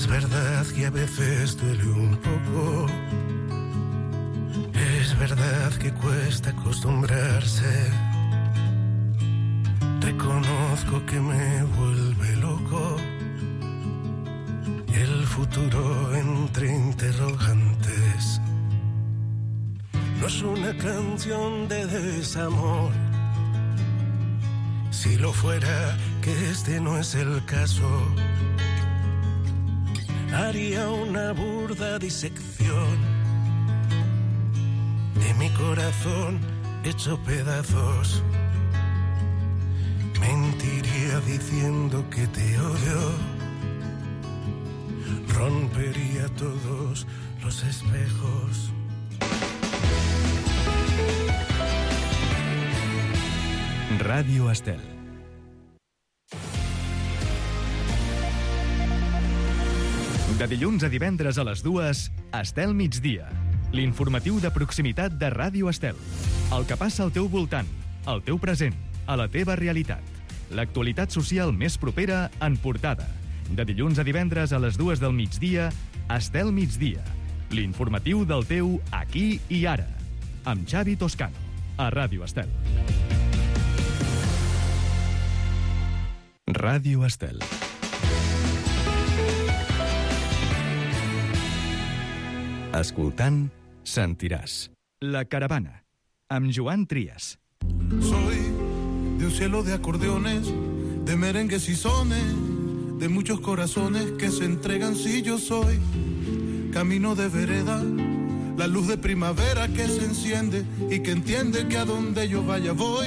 verdad que a veces duele un poco. Es verdad que cuesta acostumbrarse. Reconozco que me vuelve loco el futuro entre interrogantes. No es una canción de desamor. Si lo fuera, que este no es el caso, haría una burda disección de mi corazón hecho pedazos. Mentiría diciendo que te odio. rompería todos los espejos. Ràdio Estel. De dilluns a divendres a les 2, Estel Migdia. L'informatiu de proximitat de Ràdio Estel. El que passa al teu voltant, al teu present, a la teva realitat. L'actualitat social més propera en portada. De dilluns a divendres a les 2 del migdia, Estel Migdia. L'informatiu del teu aquí i ara. Amb Xavi Toscano, a Ràdio Estel. Ràdio Estel. Escoltant, sentiràs. La caravana, amb Joan Trias. Soy de un cielo de acordeones, de merengues y sones, de muchos corazones que se entregan si yo soy camino de vereda, la luz de primavera que se enciende y que entiende que a donde yo vaya voy.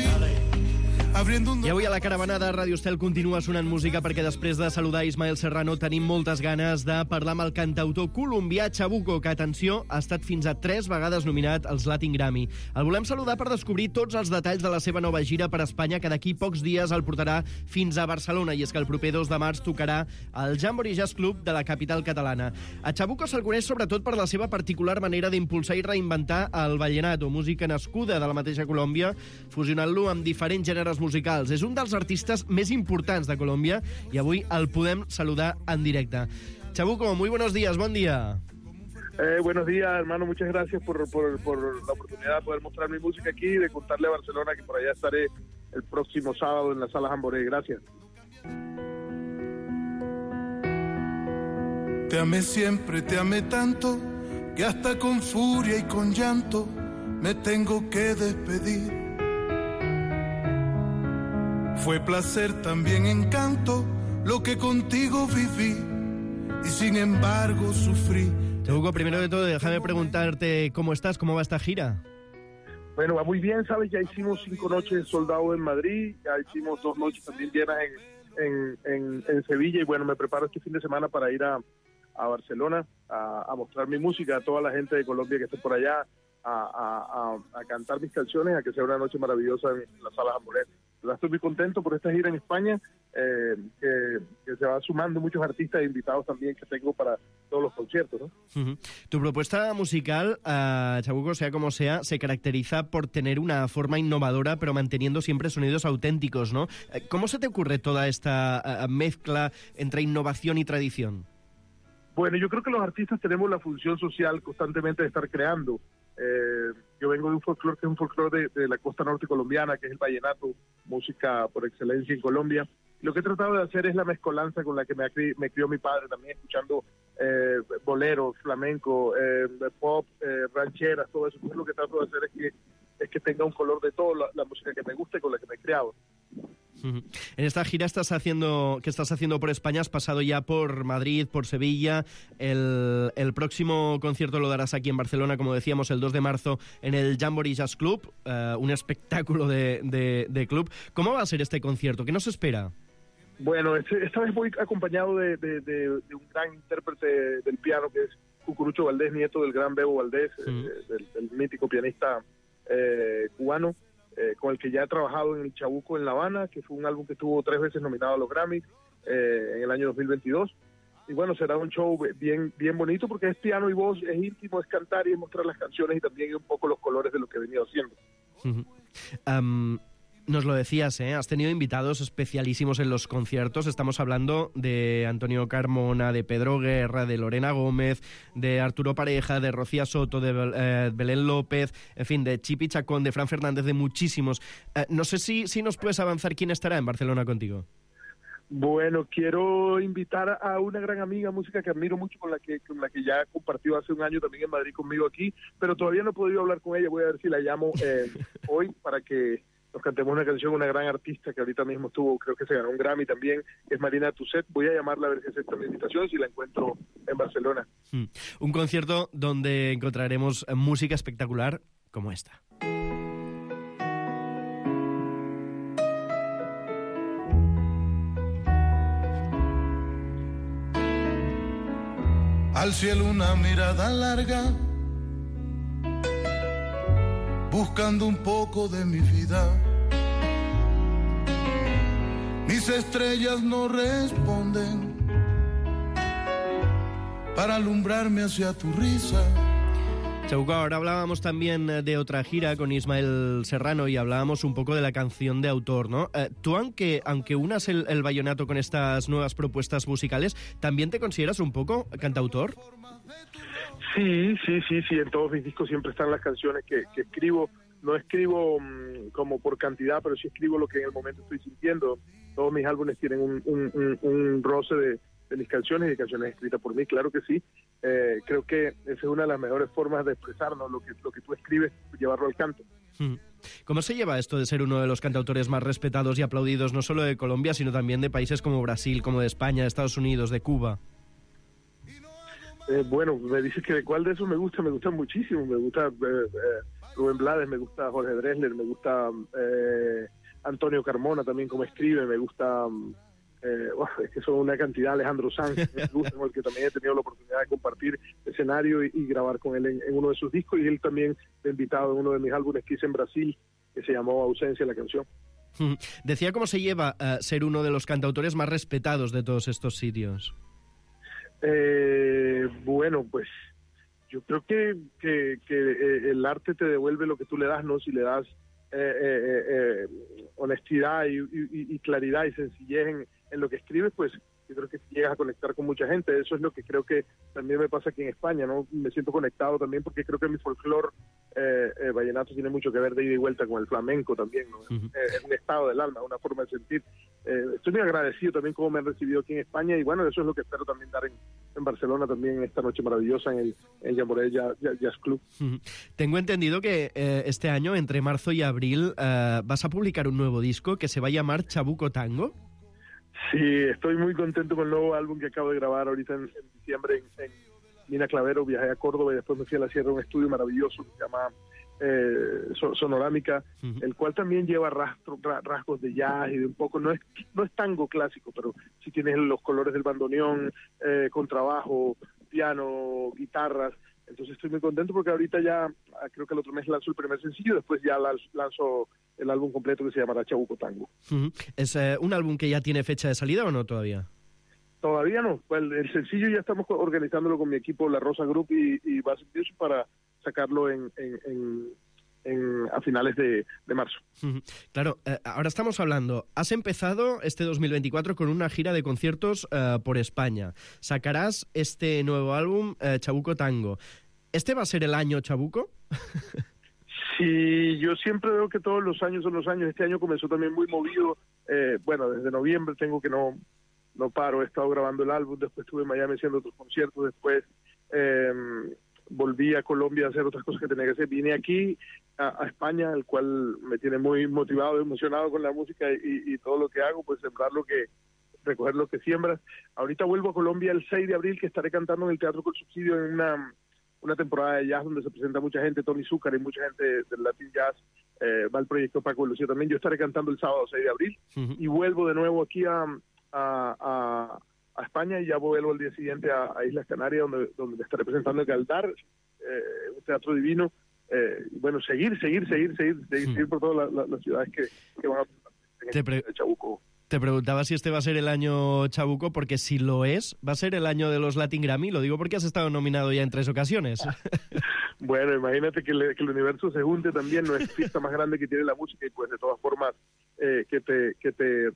I avui a la caravana de Ràdio Estel continua sonant música perquè després de saludar Ismael Serrano tenim moltes ganes de parlar amb el cantautor colombià Chabuco, que, atenció, ha estat fins a 3 vegades nominat als Latin Grammy. El volem saludar per descobrir tots els detalls de la seva nova gira per Espanya, que d'aquí pocs dies el portarà fins a Barcelona, i és que el proper 2 de març tocarà al Jamboree Jazz Club de la capital catalana. A Chabuco se'l coneix sobretot per la seva particular manera d'impulsar i reinventar el vallenato, música nascuda de la mateixa Colòmbia, fusionant-lo amb diferents gèneres musicals. És un dels artistes més importants de Colòmbia i avui el podem saludar en directe. Chabuco, muy buenos días, buen día. Buenos días, hermano, muchas gracias por la oportunidad de poder mostrar mi música aquí y de contarle a Barcelona que por allá estaré el próximo sábado en la Sala Jamboree. Gracias. Te amé siempre, te amé tanto, que hasta con furia y con llanto me tengo que despedir. Fue placer, también encanto, lo que contigo viví, y sin embargo sufrí. Chabuco, primero de todo, déjame preguntarte cómo estás, cómo va esta gira. Bueno, va muy bien, ¿sabes? Ya hicimos 5 noches soldados en Madrid, ya hicimos 2 noches también llenas en Sevilla, y bueno, me preparo este fin de semana para ir a Barcelona a mostrar mi música a toda la gente de Colombia que esté por allá, a cantar mis canciones, a que sea una noche maravillosa en la Sala Jamboree. Estoy muy contento por esta gira en España, que se va sumando muchos artistas e invitados también que tengo para todos los conciertos, ¿no? Uh-huh. Tu propuesta musical, Chabuco, sea como sea, se caracteriza por tener una forma innovadora, pero manteniendo siempre sonidos auténticos, ¿no? ¿Cómo se te ocurre toda esta mezcla entre innovación y tradición? Bueno, yo creo que los artistas tenemos la función social constantemente de estar creando. Yo vengo de un folclore que es un folclore de la costa norte colombiana, que es el vallenato, música por excelencia en Colombia. Lo que he tratado de hacer es la mezcolanza con la que me crió mi padre, también escuchando boleros, flamenco, pop, rancheras, todo eso. Entonces lo que trato de hacer es que tenga un color de toda la música que me gusta y con la que me he creado. En esta gira que estás haciendo por España, has pasado ya por Madrid, por Sevilla. El próximo concierto lo darás aquí en Barcelona, como decíamos, el 2 de marzo en el Jamboree Jazz Club, un espectáculo de club. ¿Cómo va a ser este concierto? ¿Qué nos espera? Bueno, esta vez voy acompañado de un gran intérprete del piano, que es Cucurucho Valdés, nieto del gran Bebo Valdés, del mítico pianista cubano, con el que ya he trabajado en el Chabuco en La Habana, que fue un álbum que estuvo 3 veces nominado a los Grammys en el año 2022. Y bueno, será un show bien bonito porque es piano y voz, es íntimo, es cantar y es mostrar las canciones y también un poco los colores de lo que he venido haciendo. Nos lo decías, has tenido invitados especialísimos en los conciertos. Estamos hablando de Antonio Carmona, de Pedro Guerra, de Lorena Gómez, de Arturo Pareja, de Rocía Soto, de Belén López, en fin, de Chipi Chacón, de Fran Fernández, de muchísimos. No sé si nos puedes avanzar quién estará en Barcelona contigo. Bueno, quiero invitar a una gran amiga, música que admiro mucho, con la que ya compartió hace un año también en Madrid conmigo aquí, pero todavía no he podido hablar con ella. Voy a ver si la llamo hoy para que nos cantemos una canción, una gran artista que ahorita mismo creo que se ganó un Grammy también, es Marina Tusset. Voy a llamarla a ver si acepta mi invitación, si la encuentro en Barcelona. Un concierto donde encontraremos música espectacular como esta. al cielo una mirada larga, buscando un poco de mi vida. Mis estrellas no responden para alumbrarme hacia tu risa. Chabuco, ahora hablábamos también de otra gira con Ismael Serrano y hablábamos un poco de la canción de autor, ¿no? Tú, aunque unas el vallenato con estas nuevas propuestas musicales, ¿también te consideras un poco cantautor? Sí, en todos mis discos siempre están las canciones que escribo. No escribo como por cantidad, pero sí escribo lo que en el momento estoy sintiendo. Todos mis álbumes tienen un roce de mis canciones y de canciones escritas por mí, claro que sí. Creo que esa es una de las mejores formas de expresarnos, lo que tú escribes, llevarlo al canto. ¿Cómo se lleva esto de ser uno de los cantautores más respetados y aplaudidos, no solo de Colombia, sino también de países como Brasil, como de España, de Estados Unidos, de Cuba? Bueno, me dices que de cuál de esos me gustan muchísimo. Me gusta Rubén Blades, me gusta Jorge Drexler, me gusta Antonio Carmona también como escribe, me gusta... es que son una cantidad. Alejandro Sanz, con el que también he tenido la oportunidad de compartir escenario y grabar con él en uno de sus discos, y él también me ha invitado en uno de mis álbumes que hice en Brasil, que se llamó Ausencia, la canción. Decía cómo se lleva ser uno de los cantautores más respetados de todos estos sitios. Bueno, pues yo creo que el arte te devuelve lo que tú le das, ¿no? Si le das honestidad y claridad y sencillez en lo que escribes, pues yo creo que llegas a conectar con mucha gente. Eso es lo que creo que también me pasa aquí en España, ¿no? Me siento conectado también porque creo que mi folclore vallenato tiene mucho que ver de ida y vuelta con el flamenco también, ¿no? Es un estado del alma, una forma de sentir. Estoy muy agradecido también cómo me han recibido aquí en España, y bueno, eso es lo que espero también dar en Barcelona también esta noche maravillosa en el Jamboree Jazz Club. Tengo entendido que este año, entre marzo y abril, vas a publicar un nuevo disco que se va a llamar Chabuco Tango. Sí, estoy muy contento con el nuevo álbum que acabo de grabar ahorita en diciembre en Mina Clavero. Viajé a Córdoba y después me fui a la Sierra, un estudio maravilloso que se llama Sonorámica, el cual también lleva rasgos de jazz y de un poco, no es tango clásico, pero sí tiene los colores del bandoneón, contrabajo, piano, guitarras. Entonces estoy muy contento porque ahorita ya, creo que el otro mes lanzo el primer sencillo, después ya lanzo el álbum completo que se llamará Chabuco Tango. ¿Es un álbum que ya tiene fecha de salida o no todavía? Todavía no. El sencillo ya estamos organizándolo con mi equipo, La Rosa Group y Base Music, para sacarlo a finales de marzo. Claro, ahora estamos hablando, has empezado este 2024 con una gira de conciertos por España. Sacarás este nuevo álbum, Chabuco Tango. ¿Este va a ser el año Chabuco? Sí, yo siempre veo que todos los años son los años. Este año comenzó también muy movido. Bueno, desde noviembre tengo que no paro. He estado grabando el álbum, después estuve en Miami haciendo otros conciertos, después volví a Colombia a hacer otras cosas que tenía que hacer. Vine aquí a España, el cual me tiene muy motivado, emocionado con la música y todo lo que hago, pues recoger lo que siembras. Ahorita vuelvo a Colombia el 6 de abril, que estaré cantando en el Teatro Col Subsidio en una temporada de jazz donde se presenta mucha gente, Tony Zúcar y mucha gente del Latin Jazz. Va el proyecto Paco de Lucía también. Yo estaré cantando el sábado 6 de abril y vuelvo de nuevo aquí a España, y ya vuelvo el día siguiente a Islas Canarias, donde me estaré presentando en Galdar, un teatro divino. Bueno, seguir por todas las ciudades que van a presentar en Chabuco. Te preguntaba si este va a ser el año Chabuco, porque si lo es, va a ser el año de los Latin Grammy. Lo digo porque has estado nominado ya en 3 ocasiones. Bueno, imagínate que el universo se junte también, no es fiesta más grande que tiene la música, y pues de todas formas que te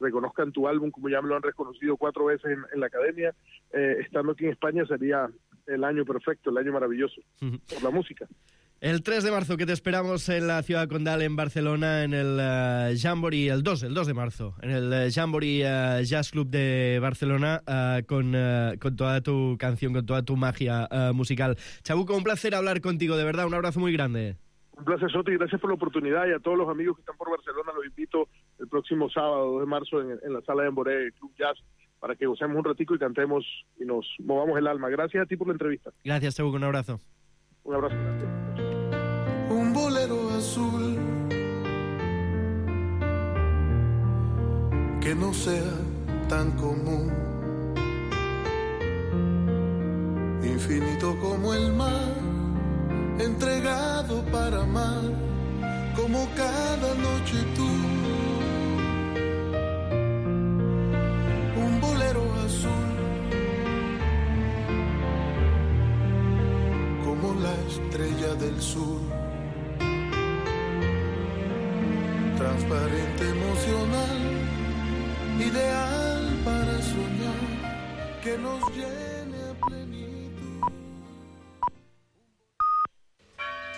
reconozcan tu álbum, como ya me lo han reconocido 4 veces en la academia, estando aquí en España sería el año perfecto, el año maravilloso por la música. El 3 de marzo, que te esperamos en la Ciudad Condal, en Barcelona, en el Jamboree, el 2 de marzo, en el Jamboree Jazz Club de Barcelona, con toda tu canción, con toda tu magia musical. Chabuco, un placer hablar contigo, de verdad, un abrazo muy grande. Un placer, Soti, gracias por la oportunidad, y a todos los amigos que están por Barcelona los invito el próximo sábado, 2 de marzo, en la sala de Jamboree Club Jazz, para que gocemos un ratico y cantemos y nos movamos el alma. Gracias a ti por la entrevista. Gracias, Chabuco, un abrazo. Un abrazo. Un bolero azul que no sea tan común, infinito como el mar, entregado para amar, como cada noche tú. Un bolero azul, como la estrella del sur, transparente, emocional, ideal para soñar, que nos lleve